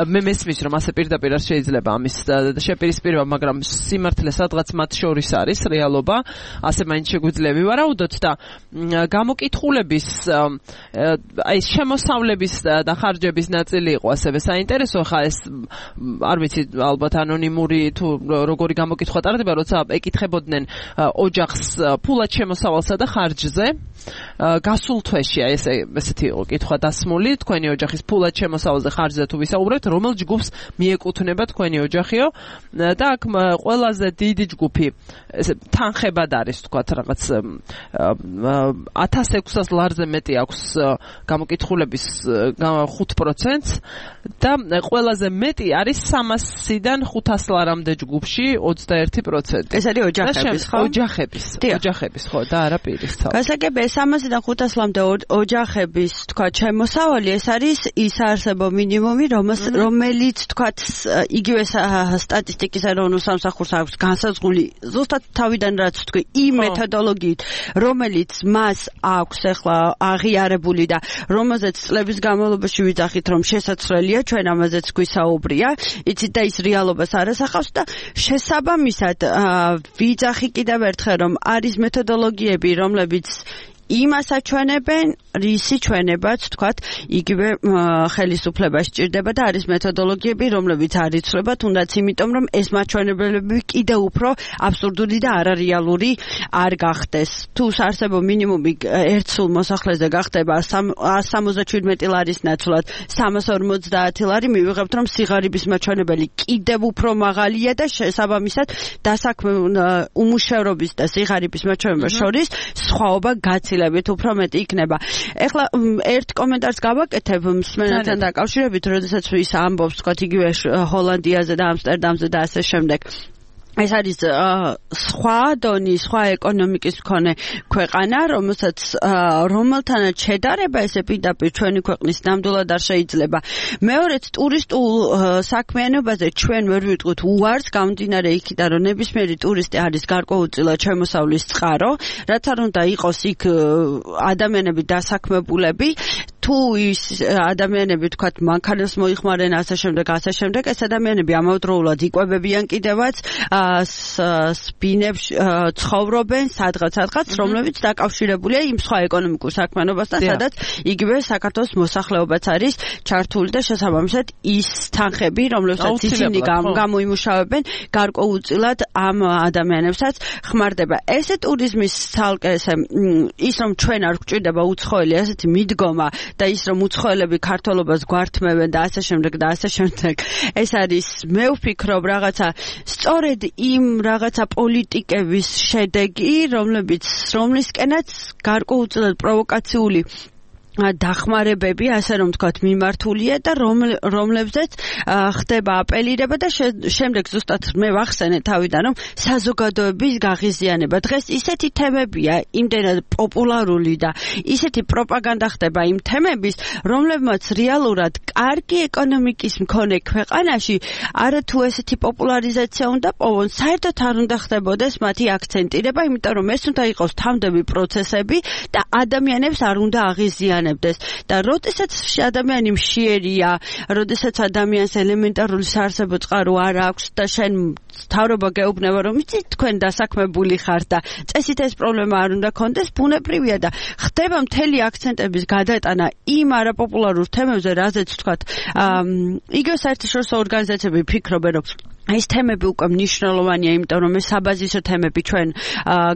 მე მესმის რომ ასე პირდაპირ არ შეიძლება ამის შეპირისპირება, მაგრამ სიმართლე სადღაც მათ შორის არის რეალობა, ასე მაინც შეგვიძლია ვივარაუდოთ და გამოკითხულების აი შემოსავლების და ხარჯების ნაწილი იყო ასევე საინტერესო, ხა ეს არ ვიცი ალბათ ანონიმური თუ როგორი გამოკითხვა ტარდება, როცა ეკითხებოდნენ ოჯახს ფულად შემოსავალსა და ხარჯზე გასულ თვეში ესეთი იყო კითხვა დასმული, თქვენი ოჯახის ფულად შემოსავალზე ხარჯზე თუ ვისაუბრებთ, რომელ ჯგუფს მიეკუთვნება თქვენი ოჯახიო და აქ ყველაზე დიდი ჯგუფი ესე თანხებად არის თქვათ რაღაც 1600 ლარზე მეტი აქვს გამოკითხულების 5% და ყველაზე მეტი არის 300-დან 500 ლარამდე ჯგუფში 21%. ეს არის ოჯახების, ხო? ოჯახების, ხო, და არა პირის თავი. გასაგებია 300-დან 500 ლამდე ოჯახების, თქვათ, შემოსავალი, ეს არის ის არსებო მინიმუმი, რომელიც, თქვათ, იგივე სტატისტიკის ეროვნულ სამსახურს აქვს განსაზღვრული ზუსტად თავიდან რაც თქვი, იმ მეთოდოლოგიით, რომელიც მას აქვს ახლა აღიარებული და რომელზეც წლების განმავლობაში ვიძახით, რომ შესაძლებელია, ჩვენ ამაზეც გვისაუბრია, იცით და ის რეალობას არასახავს და შესაბამისად ვიძახი კიდევ ერთხელ, რომ არის მეთოდოლოგიები, რომლებიც იმას აჩვენებენ, რისი ჩვენებაც, თქვათ, იგივე ხელისუფლება სჭირდება და არის მეთოდოლოგიები, რომლებიც არ იცვლება, თუნდაც იმიტომ, რომ ეს მაჩვენებლები კიდევ უფრო აბსურდული და არარეალური არ გახდეს. თუ არსებო მინიმუმი ერთ სულ მოსახლეზე გახდება 177 ლარის ნაცვლად 350 ლარი, მივიღებთ, რომ სიღარიბის მაჩვენებელი კიდევ უფრო მაღალია და შესაბამისად დასაქმე უმუშევრობის და სიღარიბის მაჩვენებელს შორის სხვაობა გაცილებით უფრო მეტი იქნება. ეხლა ერთ კომენტარს გავაკეთებ მსმენელთან დაკავშირებით, როდესაც ის ამბობს, თქვათ, იგივე ჰოლანდიაზე და ამსტერდამზე და ასე შემდეგ. ეს არის სხვა დონის, სხვა ეკონომიკის მქონე ქვეყანა, რომელთანაც შედარება ესე პირდაპირ ჩვენი ქვეყნის ნამდვილად არ შეიძლება. მეორეც ტურისტულ საქმიანობაზე ჩვენ ვერ ვიტყვით უარს, გამომდინარე იქიდან, რომ ნებისმიერი ტურისტი არის გარკვეულწილად შემოსავლის წყარო, რაც არ უნდა იყოს იქ ადამიანები დასაქმებულები, თუ ის ადამიანები, თქვათ, მანქანას მოიხმარენ ასე შემდეგ, ეს ადამიანები ამავდროულად იკვებებიან კიდევაც სპინებს ცხოვრობენ სადღაც, რომლებიც დაკავშირებულია იმ სხვა ეკონომიკურ საქმიანობასთან, სადაც იგივე საქართველოს მოსახლეობაც არის ჩართული და შესაბამისად ის თანხები, რომლებსაც ისინი გამოიმუშავებენ, გარკვეულწილად ამ ადამიანებსაც ხმარდება. ესე ტურიზმის ცალკე ის რომ ჩვენ არ გვჭირდება უცხოელი ასეთი მიდგომა და ის რომ უცხოელები ქართველობას გვართმევენ და ასე შემდეგ, ეს არის, მე ვფიქრობ, რაღაცა სწორედ იმ რაღაცა პოლიტიკების შედეგი, რომლისკენაც გარკვეულწილად პროვოკაციული დახმარებები, ასე რომ თქვათ, მიმართულია და რომლებზეც ხდება აპელირება და შემდეგ ზუსტად მე ვახსენე თავიდან, რომ საზოგადოების გაღიზიანება. დღეს ისეთი თემებია, იმდენად პოპულარული და ისეთი პროპაგანდა ხდება იმ თემების, რომლებმაც რეალურად კარგი ეკონომიკის მქონე ქვეყანაში არათუ ესეთი პოპულარიზაცია უნდა პოვონ, საერთოდ არ უნდა ხდებოდეს მათი აქცენტირება, იმიტომ რომ ეს უნდა იყოს თავდები პროცესები და ადამიანებს არ უნდა აღიზიანებდეს. და როდესაც ადამიანი მშიერია, როდესაც ადამიანს ელემენტარული საარსებო წყარო არ აქვს და შენ თავრობა გეუბნება, რომ იცით, თქვენ დასაქმებული ხართ და წესით ეს პრობლემა არ უნდა კონდეს, ბუნებრივია და ხდება მთელი აქცენტების გადატანა იმ არაპოპულარულ თემებზე, რაზეც, თქვათ, იგივე საერთაშორისო ორგანიზაციები ფიქრობენ, რომ ეს თემები უკვე მნიშვნელოვანია, იმიტომ რომ ეს საბაზისო თემები ჩვენ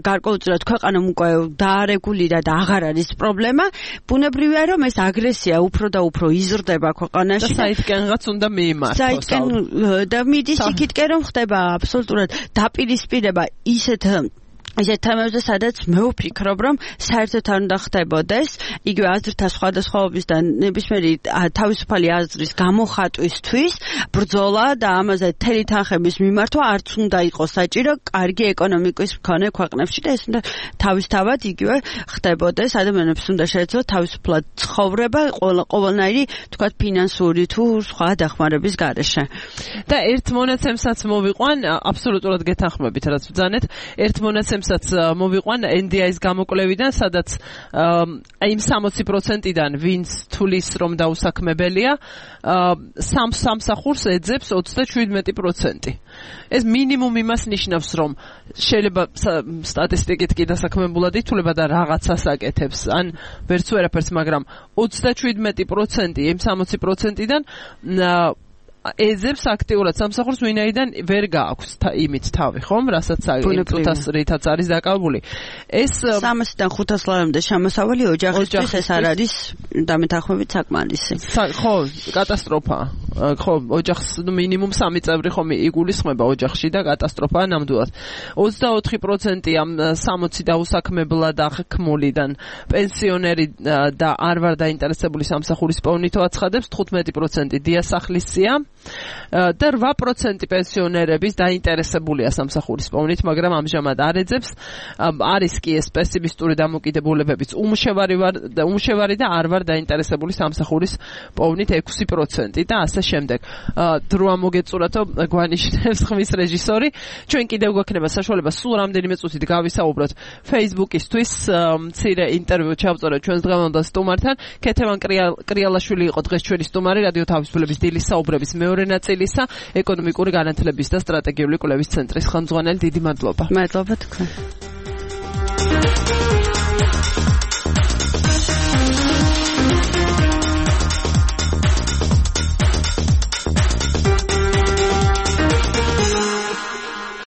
გარკვეულწილად ქვეყანამ უკვე დაარეგულირა და აღარ არის პრობლემა. ბუნებრივია, რომ ეს აგრესია უფრო და უფრო იზრდება ქვეყანაში. და საითკენღაც უნდა მიიმართოს. და მიდის იქითკენ, რომ ხდება აბსოლუტურად დაპირისპირება ისეთ ისეთ თემებზე, სადაც მე ვფიქრობ, რომ საერთოდ არ უნდა ხდებოდეს იგივე აზრთა სხვადასხვაობის და ნებისმიერი თავისუფალი აზრის გამოხატვისთვის ბრძოლა და ამაზე მთელი თანხების მიმართვა არც უნდა იყოს საჭირო კარგი ეკონომიკის მქონე ქვეყნებში და ეს უნდა თავისთავად იგივე ხდებოდეს. ადამიანებს უნდა შეეძლოთ თავისუფლად ცხოვრება ყოველნაირი თქვათ ფინანსური თუ სხვა დახმარების გარეშე. და ერთ მონაცემსაც მოვიყვან, აბსოლუტურად გეთანხმებით, რაც ბრძანეთ, ერთ მონაცემსაც მოვიყვან NDI-ის გამოკვლევიდან, სადაც იმ 60%-დან ვინც თulis რომ დაუსაქმებელია, სამსახურს ეძებს 37%. ეს მინიმუმ იმას ნიშნავს, რომ შეიძლება სტატისტიკით კი დასაქმებულად ითვლება და რაღაცას აკეთებს, ან ვერც ვერაფერს, მაგრამ 37% იმ 60%-დან ეძებს აქტიურად სამსახურს, ვინაიდან ვერ გააქვს იმით თავი, ხომ? რასაც წუთას რითაც არის დაკავებული. ეს 300-დან 500 ლარამდე შემოსავალი ოჯახისთვის ეს არ არის დამეთანხმებით საკმარისი. ხო, კატასტროფაა. ხო, ოჯახს მინიმუმ 3 წევრი ხომ იგულისხმება ოჯახში და კატასტროფაა ნამდვილად. 24% ამ 60 დაუსაქმებლა და ხმულიდან პენსიონერი და არ ვარ დაინტერესებული სამსახურის პოვნითო აცხადებს, 15% დიასახლისია და 8% პენსიონერების დაინტერესებულია სამსახურის პოვნით, მაგრამ ამჟამად არ ეძებს. არის კი ეს პესიმისტური დამოკიდებულებებიც უმშევარი და არ ვარ დაინტერესებული სამსახურის პოვნით 6% და ასე შემდეგ. დროა მოგეწურათო, გვანიშნებს ხმის რეჟისორი. ჩვენ კიდევ გვექნება საშუალება სულ რამდენიმე წუთით გავისაუბროთ Facebook-ისთვის მცირე ინტერვიუ ჩავწორეთ ჩვენს დღევანდელ სტუმართან. ქეთევან კრიალაშვილი იყო დღეს ჩვენი სტუმარი, რადიო თავისუფლების დილის საუბრების მეორე ნაწილისა, ეკონომიკური განათლების და სტრატეგიული კვლევის ცენტრის ხელმძღვანელი. დიდი მადლობა. მადლობა თქვენ.